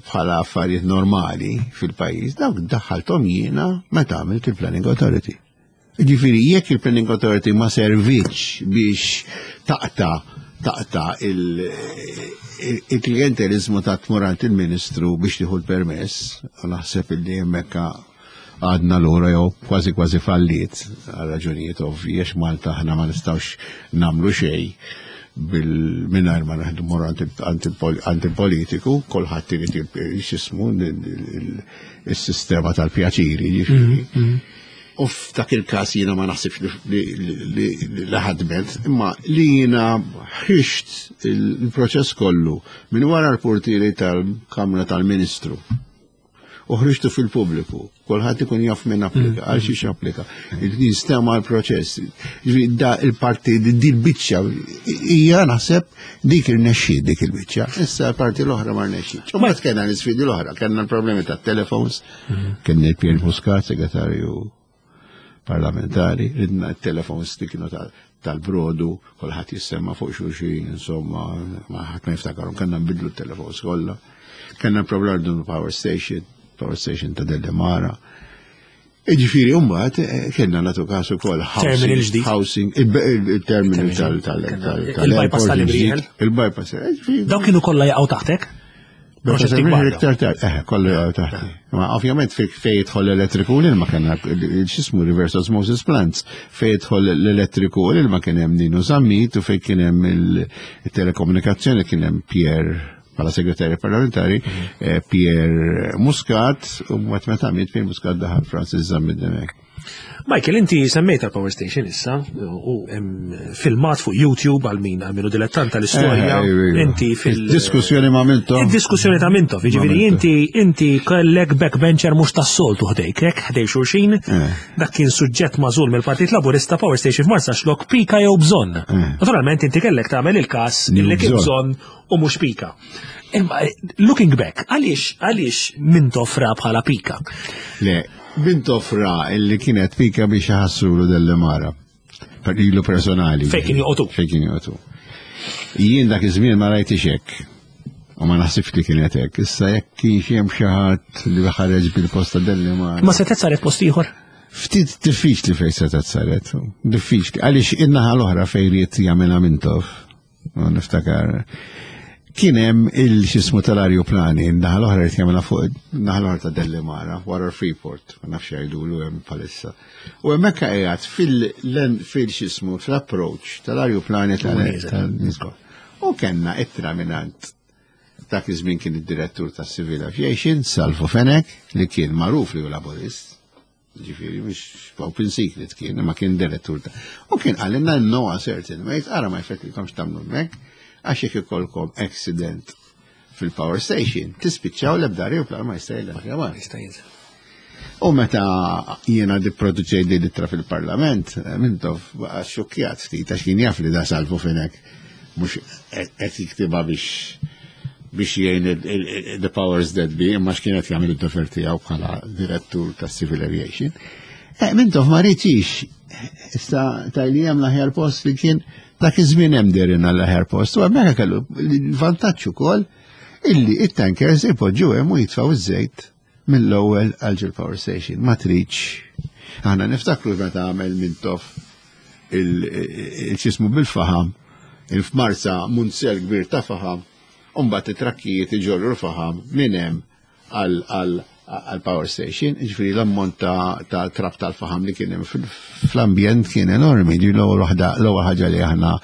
bħala affarijiet normali fil-pajjiż, dawk daħħalthom jiena meta għamilt il-Planning Authority. Ġifieri, jekk il-Planning Authority ma servitx biex taqta taqta il-klientelizmu ta' tmur għand il-Ministru biex tieħu l-permess, u naħseb illi hemmhekk għadna lura jew kważi kważi falliet għal raġunijiet ovvji għax Malta aħna ma nistgħux nagħmlu xejn bil-mingħajr ma naħdu mor għand il-politiku, kulħadd irid x'ismu il-sistema tal-pjaċiri, ġifieri. U f'dak il-każ jiena ma naħsibx li ħadmet, imma li jiena ħriġt il-proċess kollu minn wara l-portieri tal-Kamra tal-Ministru. U ħriġtu fil-pubbliku, kulħadd ikun jaf minn applika, għal xiex applika. Jinstema l-proċess. Ġifieri da il-parti di l-biċċa hija naħseb dik irnexxiet dik il-biċċa. Issa l-parti l-oħra ma rnexxietx. U mbagħad kellna l-isfidi l-oħra, kellna l-problemi tat-telefons, kellna il-Pierre Muscat, segretarju parlamentari, ridna t-telefons li kienu tal-brodu, kulħadd jissemma fuq xulxin, insomma, ma ħadd ma jiftakarhom, kellna nbidlu t-telefons kollha. Kellna problema dun power station, power station ta' Delimara. Iġifieri, mbagħad kellna nagħtu kasu kol Terminal ġdid. Housing, il-terminal tal- tal- tal- Il-bypass tal-Imrieħel. Il-bypass. Ġifieri, Dawk kienu kollha jaqgħu taħtek? Proġetti kbar. Iktar tard, eh, kollu jaqgħu taħti. Ma ovvjament fej fej jidħol l-elettriku l-ilma kellna x'ismu reverse osmosis plants, fej jidħol l-elettriku l-ilma kien hemm Ninu Zammit u fej kien hemm il-telekomunikazzjoni kien hemm Pierre bħala segretarju parlamentari, eh, Pierre Muscat, u mbagħad meta miet Pierre Muscat daħal Francis Zammit Dimech. Michael, inti semmejt tal-Power Station issa, u hemm filmat fuq YouTube għal min għal minu dilettant tal-istorja. Eh, iva, iva. Inti fil- Diskussjoni ma' Mintoff. Il-diskussjoni ta' Mintoff, jiġifieri Mintoff. inti inti kellek backbencher mhux tas-soltu ħdejk, hekk ħdej xulxin, Eh. dak kien suġġett magħżul mill-Partit Laburista Power Station f'Marsaxlokk pika jew bżonn. Naturalment inti kellek tagħmel il-każ Jew illi kien bżonn. bżonn u mhux pika. Imma looking back, għaliex għaliex Mintoff ra bħala pika? Le, Mintoff ra illi kienet pika biex ħassulu Delimara. Per ilu personali. Fejn kien joqogħdu. Fejn kien joqogħdu. Jien dak iż-żmien ma rajtix hekk. U ma naħsibx li kienet hekk. Issa jekk kien xi hemm xi ħadd li ħareġ bil-posta Delimara. Ma setgħet saret post ieħor? Ftit diffiċli fejn setgħet saret. Diffiċli. Għaliex in-naħa l-oħra fejn ried jagħmilha Mintoff. U niftakar. Kien hemm il-xismu tal-arjuplani, naħa l-oħra ried jagħmilha fuq naħa l-oħra ta' Delimara, wara Freeport, ma nafx jgħidulu hemm bħalissa. U hemmhekk qiegħed fil fil-xismu fl-approach tal-arjuplani tal-nisba. U kellna ittra mingħand dak iż-żmien kien id-direttur tas-Civil Aviation, Salvu Fenech, li kien magħruf li hu laburist. Ġifieri, mhux open secret kien, ma kien direttur ta'. U kien qalilna no certain, ma jitqara ma jfettilkomx tagħmlu hemmhekk, għax jekk ikollkom accident fil-power station, tispiċċaw l-ebda aeroplan ma jista' jilgħab. Jista' jinżel. U meta jiena dipproduċej di l-ittra fil-parlament, Mintoff baqa' xokjat ftit għax kien jaf li da Salvu Fenech mhux qed jiktibha biex biex jgħin il- il- il- the powers that be, imma x'kienet jagħmel id-dover tiegħu bħala direttur tas Civil Aviation. Eh, Mintoff ma riedx, issa tajli hemm l-aħjar post li kien dak iż-żmien hemm derina l-aħjar post, u hemmhekk kellu l-vantaġġ ukoll illi it-tankers ipoġġu hemm u jitfgħu iż-żejt mill-ewwel għal ġol power station. Ma tridx. Aħna niftakru meta għamel Mintoff il-xismu bil-faham, il-f'Marsa munzell kbir ta' faham, Umbat it-trakkijiet iġorru l-faham minn hemm għal power station, ġifieri l-ammont ta' ta' trab tal-faham li kien hemm fl-ambjent kien enormi, ġi l-ewwel waħda l-ewwel ħaġa li aħna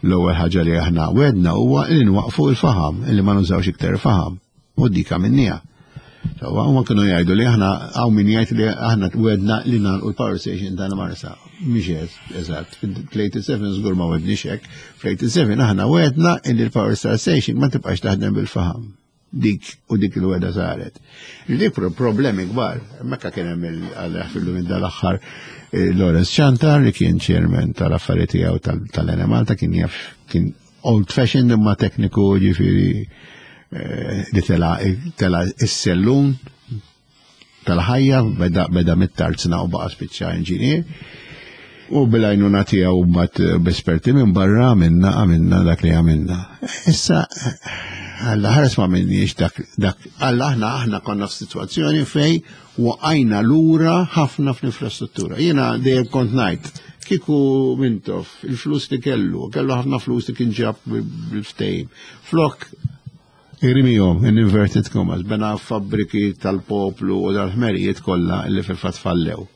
l-ewwel ħaġa li aħna wedna huwa li nwaqfu l-faham, li ma nużawx iktar faham. U dik għamilniha. Sewwa, huma kienu jgħidu li aħna hawn min jgħid li aħna wedna li nagħlqu l-power station ta' Marsa. Mhix eżatt, fl-eighty-seven żgur ma wedniex hekk. Fl-eighty-seven aħna wedna li l-power station ma tibqax taħdem bil-faham. Dik u dik il-wegħda saret. Dik problemi kbar. Mekka kien hemm il-fillu minn dal-aħħar eh, Lawrence Ciantar li kien chairman tal-affarijiet tiegħu tal-Enemalta, kien jaf, kien old fashioned imma tekniku, ġifieri eh, li tela tela is-sellum tal-ħajja, beda beda mit-tarzna u baqa' spiċċa inġinier. U bil-għajnuna tiegħu mbagħad b'esperti minn barra għamilna għamilna dak li għamilna. Issa Alla ħares ma minniex dak dak Alla aħna aħna konna f'sitwazzjoni fej waqajna lura ħafna fl-infrastruttura. Jiena dejjem kont ngħid kieku Mintoff il-flus li kellu, kellu ħafna flus li kien ġab bil-ftehim. Flok irmihom in inverted commas, bena fabbriki tal-poplu u dal-ħmerijiet kollha li fil-fatt fallew.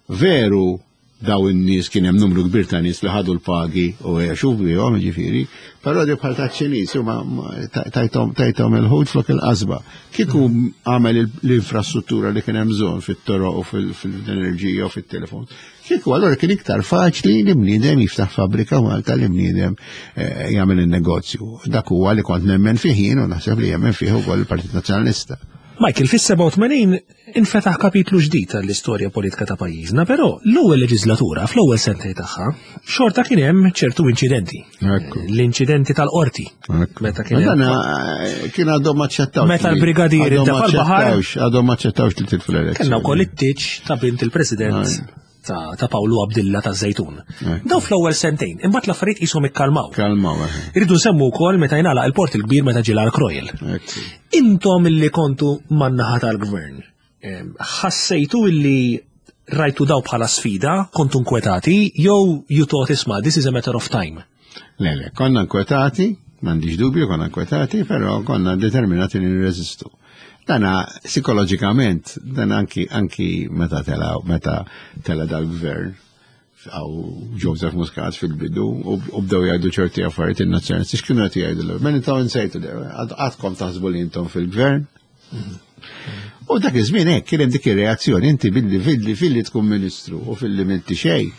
Veru, daw in-nies kien hemm numru kbir ta' nies li ħadu l-pagi u għexu bihom, ġifieri, però di bħal taċ-Ċiniż huma tajthom tajthom il-ħut flok il-qasba. Kieku għamel l-infrastruttura li kien hemm bżonn fit-toroq u fil-enerġija u fit-telefon. Kieku allura kien iktar faċli li bniedem jiftaħ fabbrika Malta, li bniedem eh, jagħmel il-negozju. Dak huwa li kont nemmen fih jien u naħseb li jemmen fih ukoll il-Partit Nazzjonalista. Michael, fis-sebgħa u tmenin infetaħ kapitlu ġdid tal-istorja politika ta' pajjiżna, però l-ewwel leġislatura, fl-ewwel sentej tagħha, xorta kien hemm ċertu inċidenti. L-inċidenti tal-qorti. Meta kien hemm eh, kien għadhom aċċettawx. Meta l-brigadier intefa' l-baħar. Għadhom aċċettawx li tilfu l-elezzjoni. Kellna wkoll it-tieġ ta' bint il-President ta', ta Pawlu Abdilla ta' Zejtun. Daw fl-ewwel sentejn, imbagħad l-affarijiet qishom ikkalmaw. Kalmaw. Irridu nsemmu wkoll meta jingħalaq il-Port il-Kbir, meta ġie l Royal. Intom illi kontu man-naħa tal-gvern, ħassejtu illi rajtu daw bħala sfida, kontu nkwetati, jew you thought, "Isma', this is a matter of time"? Le, le, konna nkwetati, m'għandix dubju, konna nkwetati, però konna determinati li nirreżistu. Dana psikoloġikament, dan anki anki meta tela meta tela dal-gvern għaw Joseph Muscat fil-bidu u bdew jgħidu ċerti affarijiet in-nazzjonalisti, x'kienu qed jgħidu l Men intom insejtu, għadkom taħsbu li intom fil-gvern. U dak iż-żmien hekk kien hemm dik ir-reazzjoni, inti billi filli filli tkun ministru u filli m'inti xejn.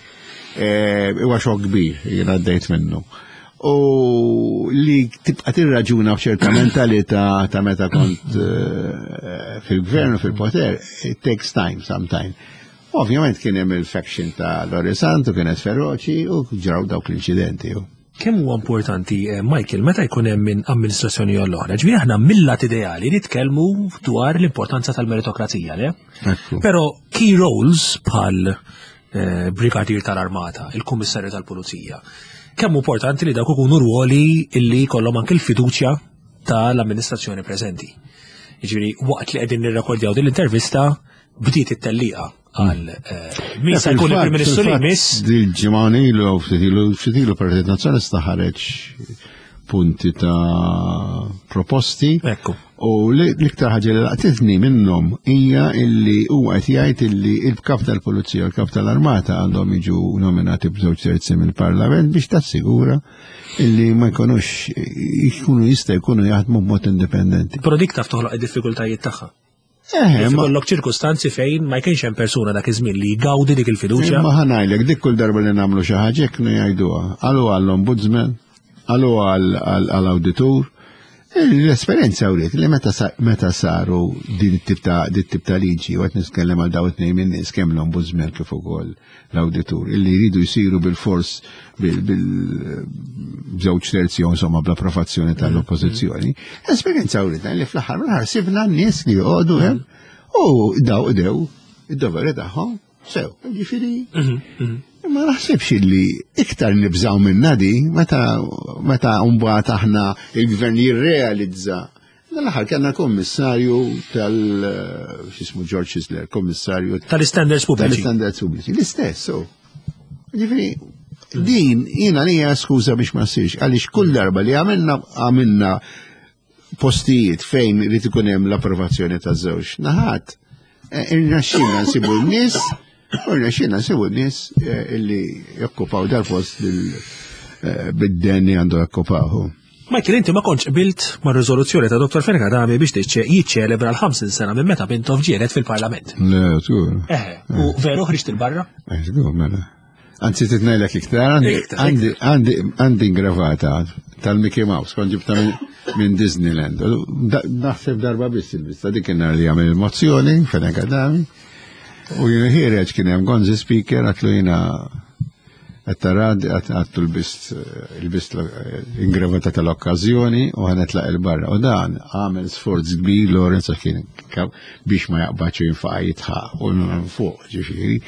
Huwa xokk kbir, jien għaddejt minnu. U li tibqa' tirraġuna b'ċerta mentalità ta' meta kont fil-gvern u fil-poter, it takes time sometime. Ovvjament kien hemm il-faction ta' Lorry Sant u kienet feroċi u ġraw dawk l-inċidenti. Kemm huwa importanti, Michael, meta jkun hemm minn amministrazzjoni jew l-oħra? Ġifieri aħna mill-lat ideali nitkellmu dwar l-importanza tal-meritokrazija, le? Però key roles bħal eh, brigadier tal-armata, il-kummissarju tal-pulizija, kemm importanti li dawk ikunu ruoli illi jkollhom anke l-fiduċja tal-amministrazzjoni preżenti? Jiġifieri waqt li qegħdin nirrekordjaw din l-intervista bdiet it-tellieqa għal eh, min se jkun il-Prim Ministru li jmiss. Dil-ġimgħa ilu, ftit ilu, ftit ilu Partit Nazzjonalista ħareġ punti ta' proposti. Ekku. U l-iktar ħaġa li laqtitni minnhom hija illi huwa qed jgħid illi il-kap tal-Pulizija u l-kap tal-Armata għandhom jiġu nominati b'żewġ terzi mill-Parlament biex tassigura illi ma jkunux jkunu jista' jkunu jaħdmu b'mod indipendenti. Però dik taf toħloq id-diffikultajiet tagħha. Eh, Kif ma- ikollok ċirkustanzi fejn ma jkienx hemm persuna dak iż-żmien li jgawdi dik il-fiduċja. Imma ħa ngħidlek, dik kull darba li nagħmlu xi ħaġa hekk jgħiduha. Għalu għall-ombudsman, għalu għall-awditur. L-esperjenza wriet li meta sa- meta saru din it-tip ta' din it-tip ta' liġi, u qed nitkellem għal daw it-tnejn minn nies, kemm l-ombudsman kif ukoll l-awditur, illi jridu jsiru bil-fors bil b'żewġ terzi jew insomma bl-approvazzjoni tal-oppożizzjoni. L-esperjenza wriet li fl-aħħar mill-aħħar sibna n-nies li joqogħdu hemm u daw qdew id-doveri tagħhom sew. Ġifieri ma naħsibx li iktar nibżaw minna di meta meta mbagħad aħna il-gvern jirrealizza. Dal-aħħar kellna kommissarju tal x'ismu, George Chisler, kommissarju tal-standards pubbliċi. Tal-standards pubbliċi. L-istess, so. Ġifieri, din jiena li hija skuża biex ma ssirx, għaliex kull darba li għamilna għamilna postijiet fejn irid ikun hemm l-approvazzjoni taż-żewġ naħat, eh, irnexxielna nsibu n-nies, u irnexxielna nsibu n-nies eh, illi jokkupaw dal-post bil- eh, bid-den li għandu jokkupaw. Michael, inti ma kontx qbilt ma' riżoluzzjoni ta' Dottor Fenech Adami biex tiċċe- jiċċelebra l-ħamsin sena minn meta Mintoff ġie elett fil-Parlament. Le, żgur. Eħe, u veru ħriġt il-barra? Eh, żgur, mela. Anzi, titnejlek iktar, għandi- Iktar, għandi għandi għandi ingravata tal-Mickey Mouse, kont ġibta minn minn Disneyland. Naħseb darba biss il-bista, dik kien li għamel il-mozzjoni, Fenech Adami. U jien ħiereġ kien hemm Gonzi speaker, għedtlu jiena għattarad, għedtlu lbist lbist ingravata tal-okkazjoni u ħa nitlaq 'il barra. U dan għamel sforz kbir Lawrence kien biex ma jaqbadx jinfaqa' jidħaq u fuq, ġifieri.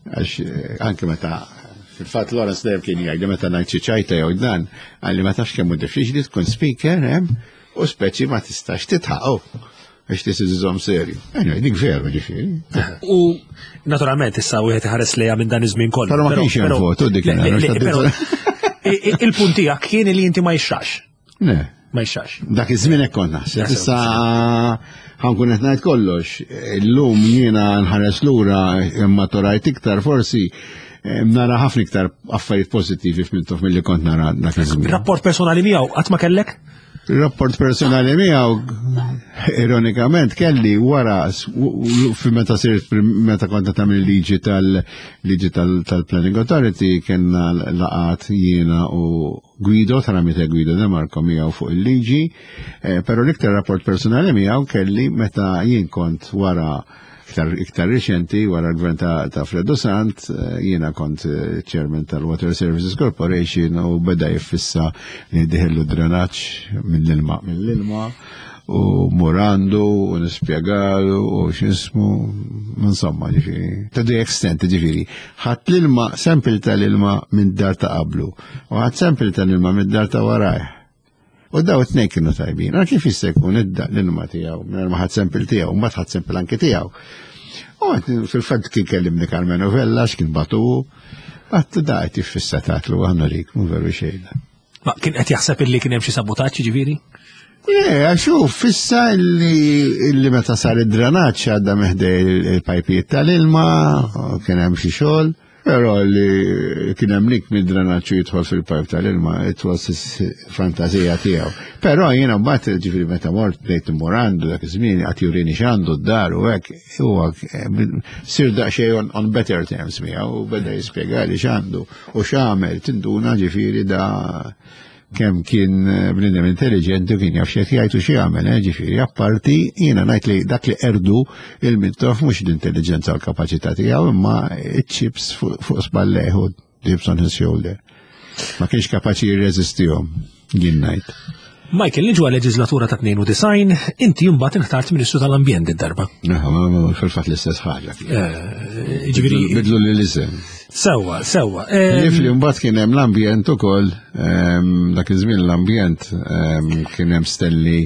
Għax anke meta fil-fatt Lawrence dejjem kien jgħid meta ngħid xi ċajta jew dan, qalli ma tafx kemm hu diffiċli tkun speaker hemm u speċi ma tistax tidħaq biex tisiżom serju. Anyway, dik veru, ġifieri. U naturalment issa wieħed iħares lejha minn dan iż-żmien kollu. Però ma kienx hemm votu dik. Il-punt tiegħek kien li inti ma jixrax. Ne. Ma jixrax. Dak iż-żmien hekk kont naħseb. Issa ħa nkun qed ngħid kollox. Illum jiena nħares lura imma torajt iktar forsi nara ħafna iktar affarijiet pożittivi f'Mintoff milli kont nara dak iż-żmien. Rapport personali miegħu qatt ma kellek? Rapport personali miegħu ironikament kelli wara fi meta sirt meta kont tagħmel liġi tal-liġi tal-Planning Authority, kellna laqgħat jiena u Guido, tramite Guido De Marco, miegħu fuq il-liġi, eh, però l-iktar rapport personali miegħu kelli meta jien kont wara iktar, iktar reċenti, wara l-gvern ta', ta Fredo Sant, eh, jiena kont eh, chairman tal-Water Services Corporation u beda jiffissa li diħillu drenaġġ mill-ilma mill-ilma u murandu u nispjegalu u x'ismu, insomma, ġifieri. To the extent, ġifieri, ħadd l-ilma, sample tal-ilma minn dar ta' qablu u ħadd sample tal-ilma minn dar ta' warajh. U daw it-tnejn kienu tajbin. Għal kif jista' jkun idda l-ilma tiegħu, minn ma ħadd sample tiegħu, mbagħad ħadd sample anke tiegħu. U fil-fatt kien kellimni Karmenu Vella, x'kien batu, għedtlu da qed jiffissa tatlu għannorik, mhu veru xejn. Ma kien qed jaħseb illi kien hemm xi sabotaġġ, ġifieri? Le, xuf, fissa illi, illi meta sar id-drenaġġ għadda meħdej il-pajpijiet tal-ilma, kien hemm xi xogħol, però li kien hemm lik mid-drenaġġ jidħol fil-pajp tal-ilma, it was fantazija tiegħu. Però jiena mbagħad, ġifieri, meta mort bdejt immur għandu dak iż-żmien qed jurini x'għandu d-dar u hekk, huwa sir daqsxejn on, on better terms miegħu u beda jispjegali x'għandu u x'għamel, tinduna ġifieri da kemm kien bniedem intelligenti u kien jaf x'qed jgħid u x'jagħmel, eh, ġifieri, apparti jiena ngħid li dak li erdu il-Mintoff mhux l-intelligenza u l-kapaċità tiegħu imma iċ-chips fuq spallejh u chips on his shoulder. Ma kienx kapaċi jirreżistihom, jien ngħid. Michael, niġu għal leġislatura ta' tnejn u disgħin, inti mbagħad inħtart Ministru tal-Ambjent id-darba. Fil-fatt l-istess ħaġa. Eh, ġifieri Bidlu li l-isem. Sewwa, sewwa. Li fli mbagħad kien hemm l-ambjent ukoll, dak iż-żmien l-ambjent kien hemm Stanley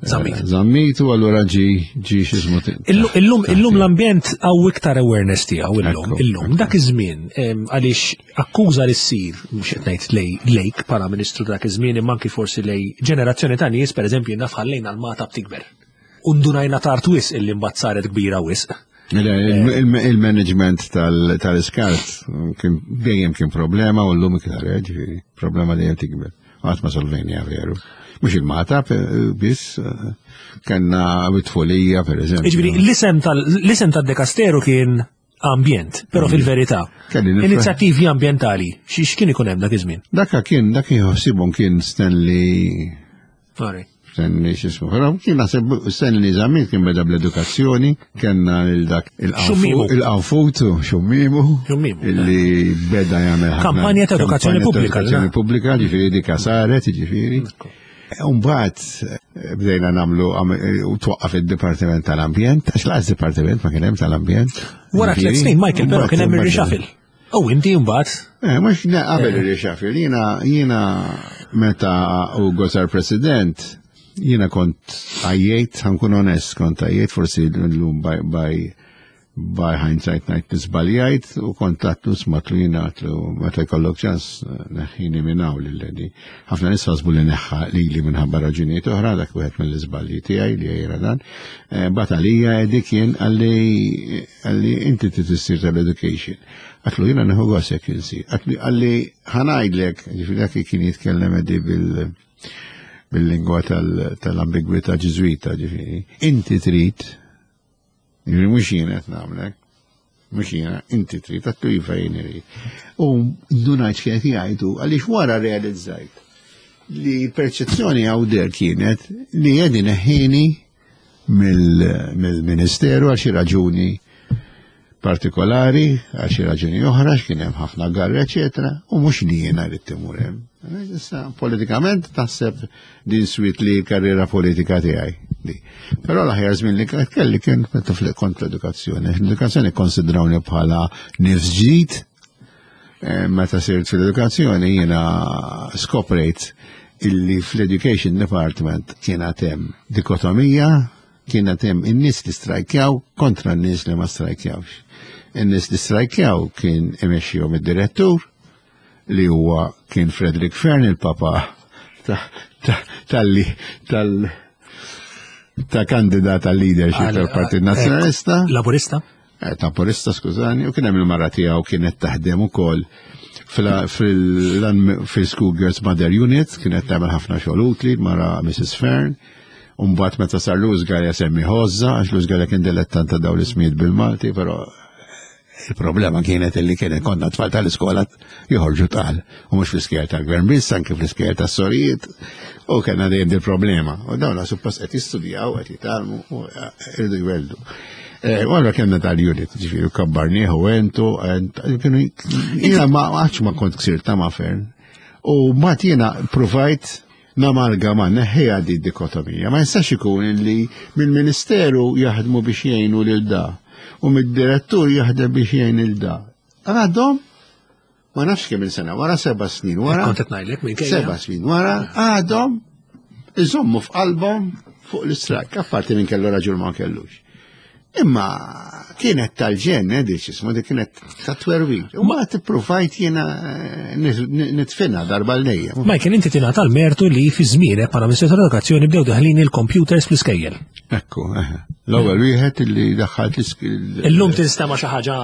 Zammit. Zammit u allura ġi ġi x'ismu. Illum illum l-ambjent għaw iktar awareness tiegħu illum. Illum dak iż-żmien, għaliex akkuża li ssir, mhux qed ngħid lej lejk bħala ministru dak iż-żmien imma anki forsi lej ġenerazzjoni ta' nies, pereżempju naf ħallejna l-Magħtab tikber. U ndunajna tard wisq illi mbagħad saret kbira wisq. Il-management tal-iskart kien dejjem kien problema u llum iktar, ġifieri, problema dejjem tikber. Għad ma solvejnieha veru. Mhux il-Magħtab biss, kellna bit-tfulija, per eżempju. Ġifieri, l-isem tad-dekasteru kien ambjent, però fil-verità. Inizjattivi ambientali, xiex kien ikun hemm dak iż-żmien? Dakka kien, dak jħossibhom kien Stanley. Stanley x'ismu. Però kien naħseb Stanley Zammit kien beda bl-edukazzjoni, kellna il-dak il-qanfutu, xummimu, illi beda jagħmel kampanja ta' edukazzjoni pubblika. Edukazzjoni pubblika, ġifieri dika saret, ġifieri. Umbagħad bdejna nagħmlu u twaqqaf id-Dipartiment tal-Ambjent, għax laqas Dipartiment ma kien hemm tal-Ambjent. Wara tliet snin, Michael, però kien hemm ir-reshuffle. U inti mbagħad? Eh, mhux qabel ir-reshuffle, jiena jiena meta Ugo sar President, jiena kont għajjejt, ħa nkun onest, kont għajjejt, forsi l-lum by, by by hindsight ngħid nisbaljajt u kont għedtlu smatlu jiena, għedtlu meta jkollok ċans neħħini minn hawn lil Eddie. Ħafna nies ħasbu li neħħa lili minħabba raġunijiet oħra, dak wieħed mill-iżbalji tiegħi li jgħira dan. Bat għalija Eddie kien għalli għalli inti trid issir tal-education. Għedtlu jiena nieħu gost jekk insir. Għalli ħa ngħidlek, ġifieri dak kien jitkellem Eddie bil bil-lingwa tal-ambigwità ġiżwita, ġifieri. Inti trid, ġifieri mhux jien qed nagħmlek, mhux jiena, inti trid, għedtlu iva jien irid. U ndunajt x'qed jgħidu, għaliex wara realizzajt Li perċezzjoni għawder kienet li jedi neħħini mill-ministeru għal xi raġuni partikolari, għal xi raġuni oħra, x'kien hemm ħafna garra, eċetera, u mhux li jiena rrid timur hemm. Issa politikament taħseb din swit li karriera politika tiegħi. Però l-aħjar żmien li kelli kien meta kont l-edukazzjoni. L-edukazzjoni konsidrawni bħala nifs ġdid. Meta sirt fil-edukazzjoni jiena skoprejt illi fl-Education Department kienet hemm dikotomija, kienet hemm in-nies li strajkjaw kontra n-nies li ma strajkjawx. In-nies li strajkjaw kien imexxihom id-direttur li huwa kien Frederick Fern, il-papa tal-li tal ta' kandidat tal-leadership tal-Partit Nazzjonalista. Laburista? Laburista, skużani, u kien hemm il-mara tiegħu kienet taħdem ukoll fil-School Girls Mother Unit, kienet tagħmel ħafna xogħol utli, mara Missus Fern. Umbagħad meta sar Louis Galea semmi Ħożża, għax Louis Galea kien dilettant ta' dawn l-ismijiet bil-Malti, però il-problema kienet illi kienet konna tfal tal-iskola joħorġu tqal, u mhux fl-iskejjel tal-gvern biss, anke fl-iskejjel tas-sorijiet, u kellna dejjem din problema. U dawn suppost qed jistudjaw, qed jitgħallmu u irridu jweldu. U allura kellna tal-unit, ġifieri kabbarnieh u entu, kienu jiena ma għadx ma kont ksirta ma' Fern. U mbagħad jiena provajt namalgama neħħiha di dikotomija. Ma jistax ikun illi mill-ministeru jaħdmu biex jgħinu lil da u mid-direttur jaħdem biex jgħin il da. Għadhom ma nafx kemm il-sena, wara seba' snin wara. Kont qed ngħidlek minn Seba' snin wara għadhom iżommu f'qalbhom fuq l-istrajk, apparti minn kellu raġun ma kellux. Imma kienet tal-ġen, eh, dik x'ismu, dik kienet ta' twerwir. U ma tippruvajt jiena nitfina darba l-lejja. Michael, inti tingħata l-mertu li fi żmienek bħala Ministru tal-Edukazzjoni bdew daħlin il-computers fl-iskejjel. Ekku, eh. L-ewwel wieħed li daħħalt l-iskejjel. Illum tinstema' xi ħaġa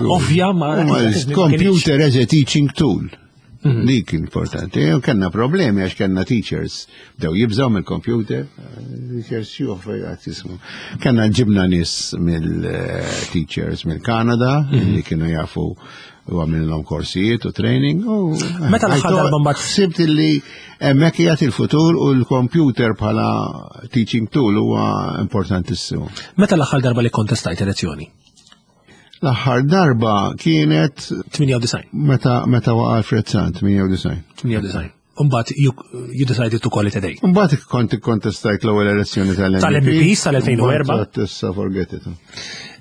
ovvja ma Computer as a teaching tool. Dik importanti. U kellna problemi għax kellna teachers bdew jibżaw mill-computer, teachers xjuħ għat jismu. Kellna ġibna nies mill-teachers mill-Kanada li kienu jafu u għamilhom korsijiet u training. U Meta l-aħħar darba mbagħad ħsibt li hemmhekk qiegħed il-futur u l-computer bħala teaching tool huwa importantissimu. Meta l-aħħar darba li kontestajt elezzjoni? L-aħħar darba kienet tmienja u disgħin. Meta, meta waqa' Alfred Sant, tmienja u disgħin. tmienja u disgħin. Umbagħad you, you decided to call it a day. Umbagħad kont ikkontestajt l-ewwel elezzjoni tal-M P. Tal-M P sal-elfejn u erba'. Umbagħad issa forget it.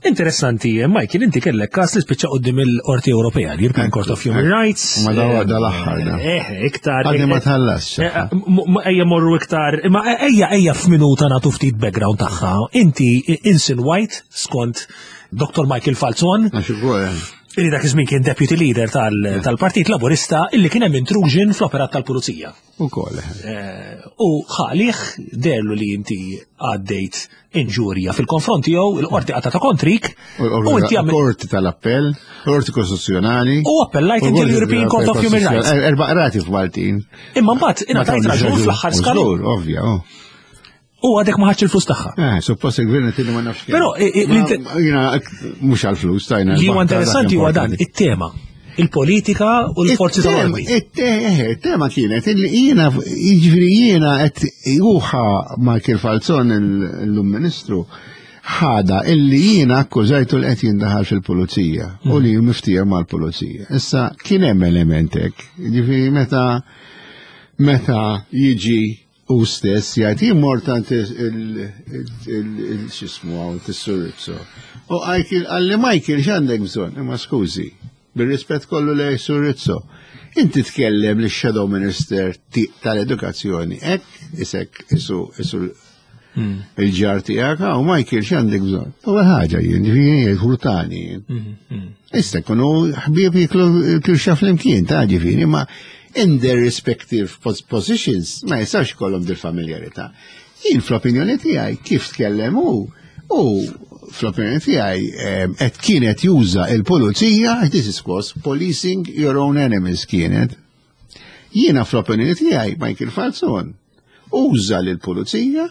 Interessanti, Michael, inti kellek każ li spiċċa quddiem il-Qorti Ewropea, l-European Court of Human Rights. Ma dawa dal-aħħar da. Eh, iktar. Għadni ma tħallasx. Eh, m-, m-, ejja morru iktar, imma ejja, ejja f'minuta nagħtu ftit background tagħha. Inti Ensign White skont Doktor Michael Falzon. Għax ukoll, eh. Illi dak iż-żmien kien deputy leader tal-, tal-Partit Laburista illi kien hemm intrusion fl-operat tal-Pulizija. Ukoll, eh. Eh, u ħalih derlu li inti għaddejt inġurja fil-konfront tiegħu, il-qorti qatgħet kontrik, U u inti għamil l-qorti tal-appell, l-qorti kostituzzjonali. U appellajt inti U l-qorti l-European Court of Human Rights. Er-, erba' qrati f'Maltin. Imma mbagħad Ma ingħatajt tawniex raġun raġun. fl-aħħar skalu. Żgur, ovvja, oh. U għadek ma ħadx il-flus tagħha. Eh, suppost il-gvern qed ma nafx kemm. Però, i-, i-, Ma- l-inter- jiena mhux għall-flus tajna. Li huwa l-baħta dak interessanti huwa dan importanti. it-tema, il-politika u l-forzi It-tema, tal-ordni. it-te-, it-tema kienet illi jiena, jiġifieri jiena qed juħa Michael Falzon il-lum ministru ħada illi jiena akkużajtu li qed jindaħal fil-pulizija u li miftija mal-pulizija. Issa kien hemm element hekk, jiġifieri meta, meta jiġi u stess jgħid jien mort għand il-xismu għaw t-Sur Rizzo. U Michael, għalli Michael x'għandek bżonn? Imma skużi, bir-rispett kollu lej Sur Rizzo. Inti tkellem li shadow minister ti-, tal-edukazzjoni, hekk isek isu, isu Hmm. il-ġar tiegħek, u Michael x'għandek bżonn? Ewwel ħaġa jien, ġifieri jien ħurtani jien. Hmm, hmm. Issa kunu ħbieb jiklu kirxa flimkien, ta' ġifieri, ma in their respective pos-, positions ma jistax ikollhom dil-familjarità. Jien fl-opinjoni tiegħi kif tkellem hu, u fl-opinjoni tiegħi, ehm, qed kienet juża il-pulizija, this is called policing your own enemies kienet. Jiena fl-opinjoni tiegħi Michael Falzon uża lill-pulizija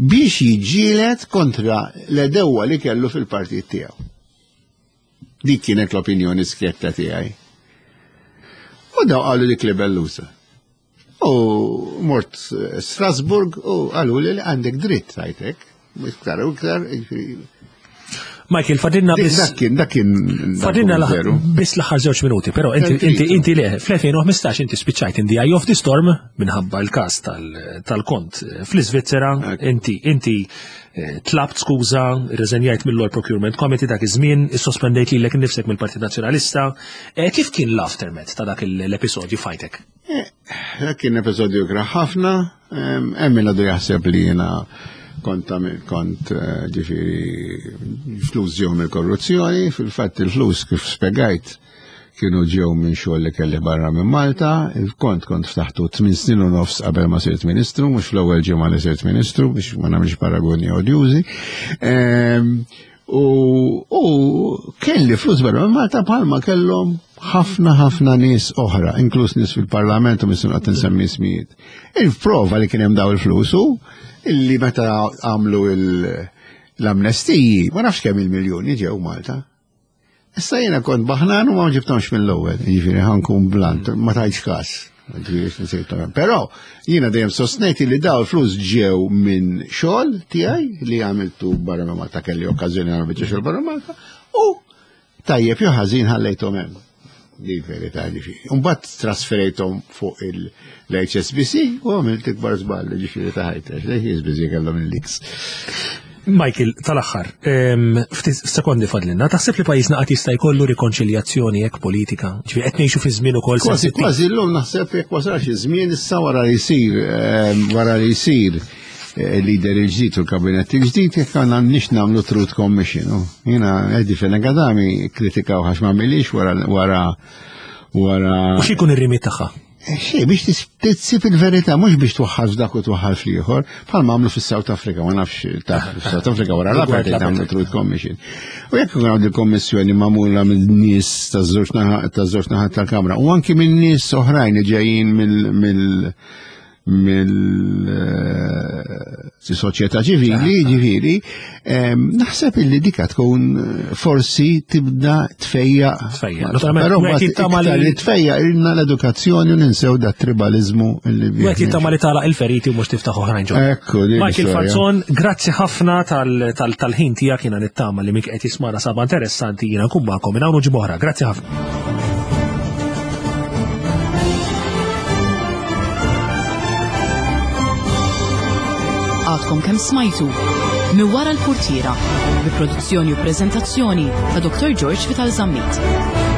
biex jiġġieled kontra l-edewwa li kellu fil-partit tiegħu. Dik kienet l-opinjoni skjetta tiegħi. U daw qalu dik li bellusa. U mort Strasburg u qalu li għandek dritt tajtek. Iktar u iktar. Michael, fadilna biss. Dak kien, dak kien. Fadilna biss l-aħħar żewġ minuti, però inti inti inti le, fl-elfejn u ħmistax inti spiċċajt in the eye of the storm minħabba l-każ tal-kont fl-Iżvizzera, inti inti tlabt skuża, rreżenjajt mill-Law Procurement Committee dak iż-żmien, issospendejt lilek innifsek mill-Partit Nazzjonalista. Kif kien l-aftermath ta' dak l-episodju fajtek? Dak kien episodju kraħ ħafna, hemm min għadu jaħseb li jiena kont kont ġifieri flus ġew mill-korruzzjoni, fil-fatt il-flus kif spjegajt kienu ġew minn xogħol li kelli barra minn Malta, il-kont kont ftaħtu tmien snin u nofs qabel ma sirt ministru, mhux fl-ewwel ġimgħa li sirt ministru biex ma nagħmilx paragoni odjużi. U kelli flus barra minn Malta bħalma kellhom ħafna ħafna nies oħra, inkluż nies fil-Parlament u missun qatt insemmi ismijiet. Il-prova li kien hemm daw il-flus hu illi meta għamlu l-amnestiji, ma nafx kemm il-miljuni ġew Malta. Issa jiena kont baħnan u ma ġibtomx mill-ewwel, jiġifieri ħankun blant, ma tajtx każ. Però jiena dejjem sostnejt li daw il-flus ġew minn xogħol tiegħi li għamiltu barra minn Malta, kelli okkażjoni nagħmel biċċa xogħol barra Malta, u tajjeb jew ħażin ħallejthom hemm. Di verità ġifieri. Mbagħad trasferejthom fuq l-H S B C u għamilt ikbar żball ġifieri ta' ħajti, għax l-H S B C kellhom il-leaks. Michael, tal-aħħar, ftit sekondi fadlinna, taħseb li pajjiżna qatt jista' jkollu rikonċiljazzjoni hekk politika? Ġifieri qed ngħixu fi żmien ukoll Kważi, kważi llum naħseb jekk wasalx iż-żmien issa wara li jsir, wara li jsir il-lider il-ġdid u l-kabinett il-ġdid, jekk għandna nix nagħmlu Truth Commission. Jiena Eddie Fenech Adami kritikaw għax ma għamilix wara wara wara. U x'ikun ir-rimit tagħha? Xej, biex tissib il-verità, mhux biex twaħħal f'dak u twaħħal fl-ieħor, bħalma għamlu fis-South Africa, ma nafx taf fis-South Africa wara l-apartheid għamlu Truth Commission. U jekk ikun hawn il-kommissjoni magħmula minn nies taż-żewġ taż-żewġ naħat tal-Kamra u anki minn nies oħrajn li ġejjin mill mill soċjetà ċivili, ġifieri, naħseb illi dika tkun forsi tibda tfejja. Però li tfejja ilna l-edukazzjoni u ninsew da tribalizmu illi bi. Wieħed jittama li tagħlaq il-feriti u mhux tiftaħ oħrajn ġodda. Ekku, Michael Falzon, grazzi ħafna tal-ħin tiegħek, jiena nittama li mik qed jismana saba interessanti, jiena nkun magħkom minn hawn u ġimgħa oħra. Grazzi ħafna. Għadkom kemm smajtu minn wara l-portiera bi produzzjoni u preżentazzjoni ta' Doctor George Vital Zammit.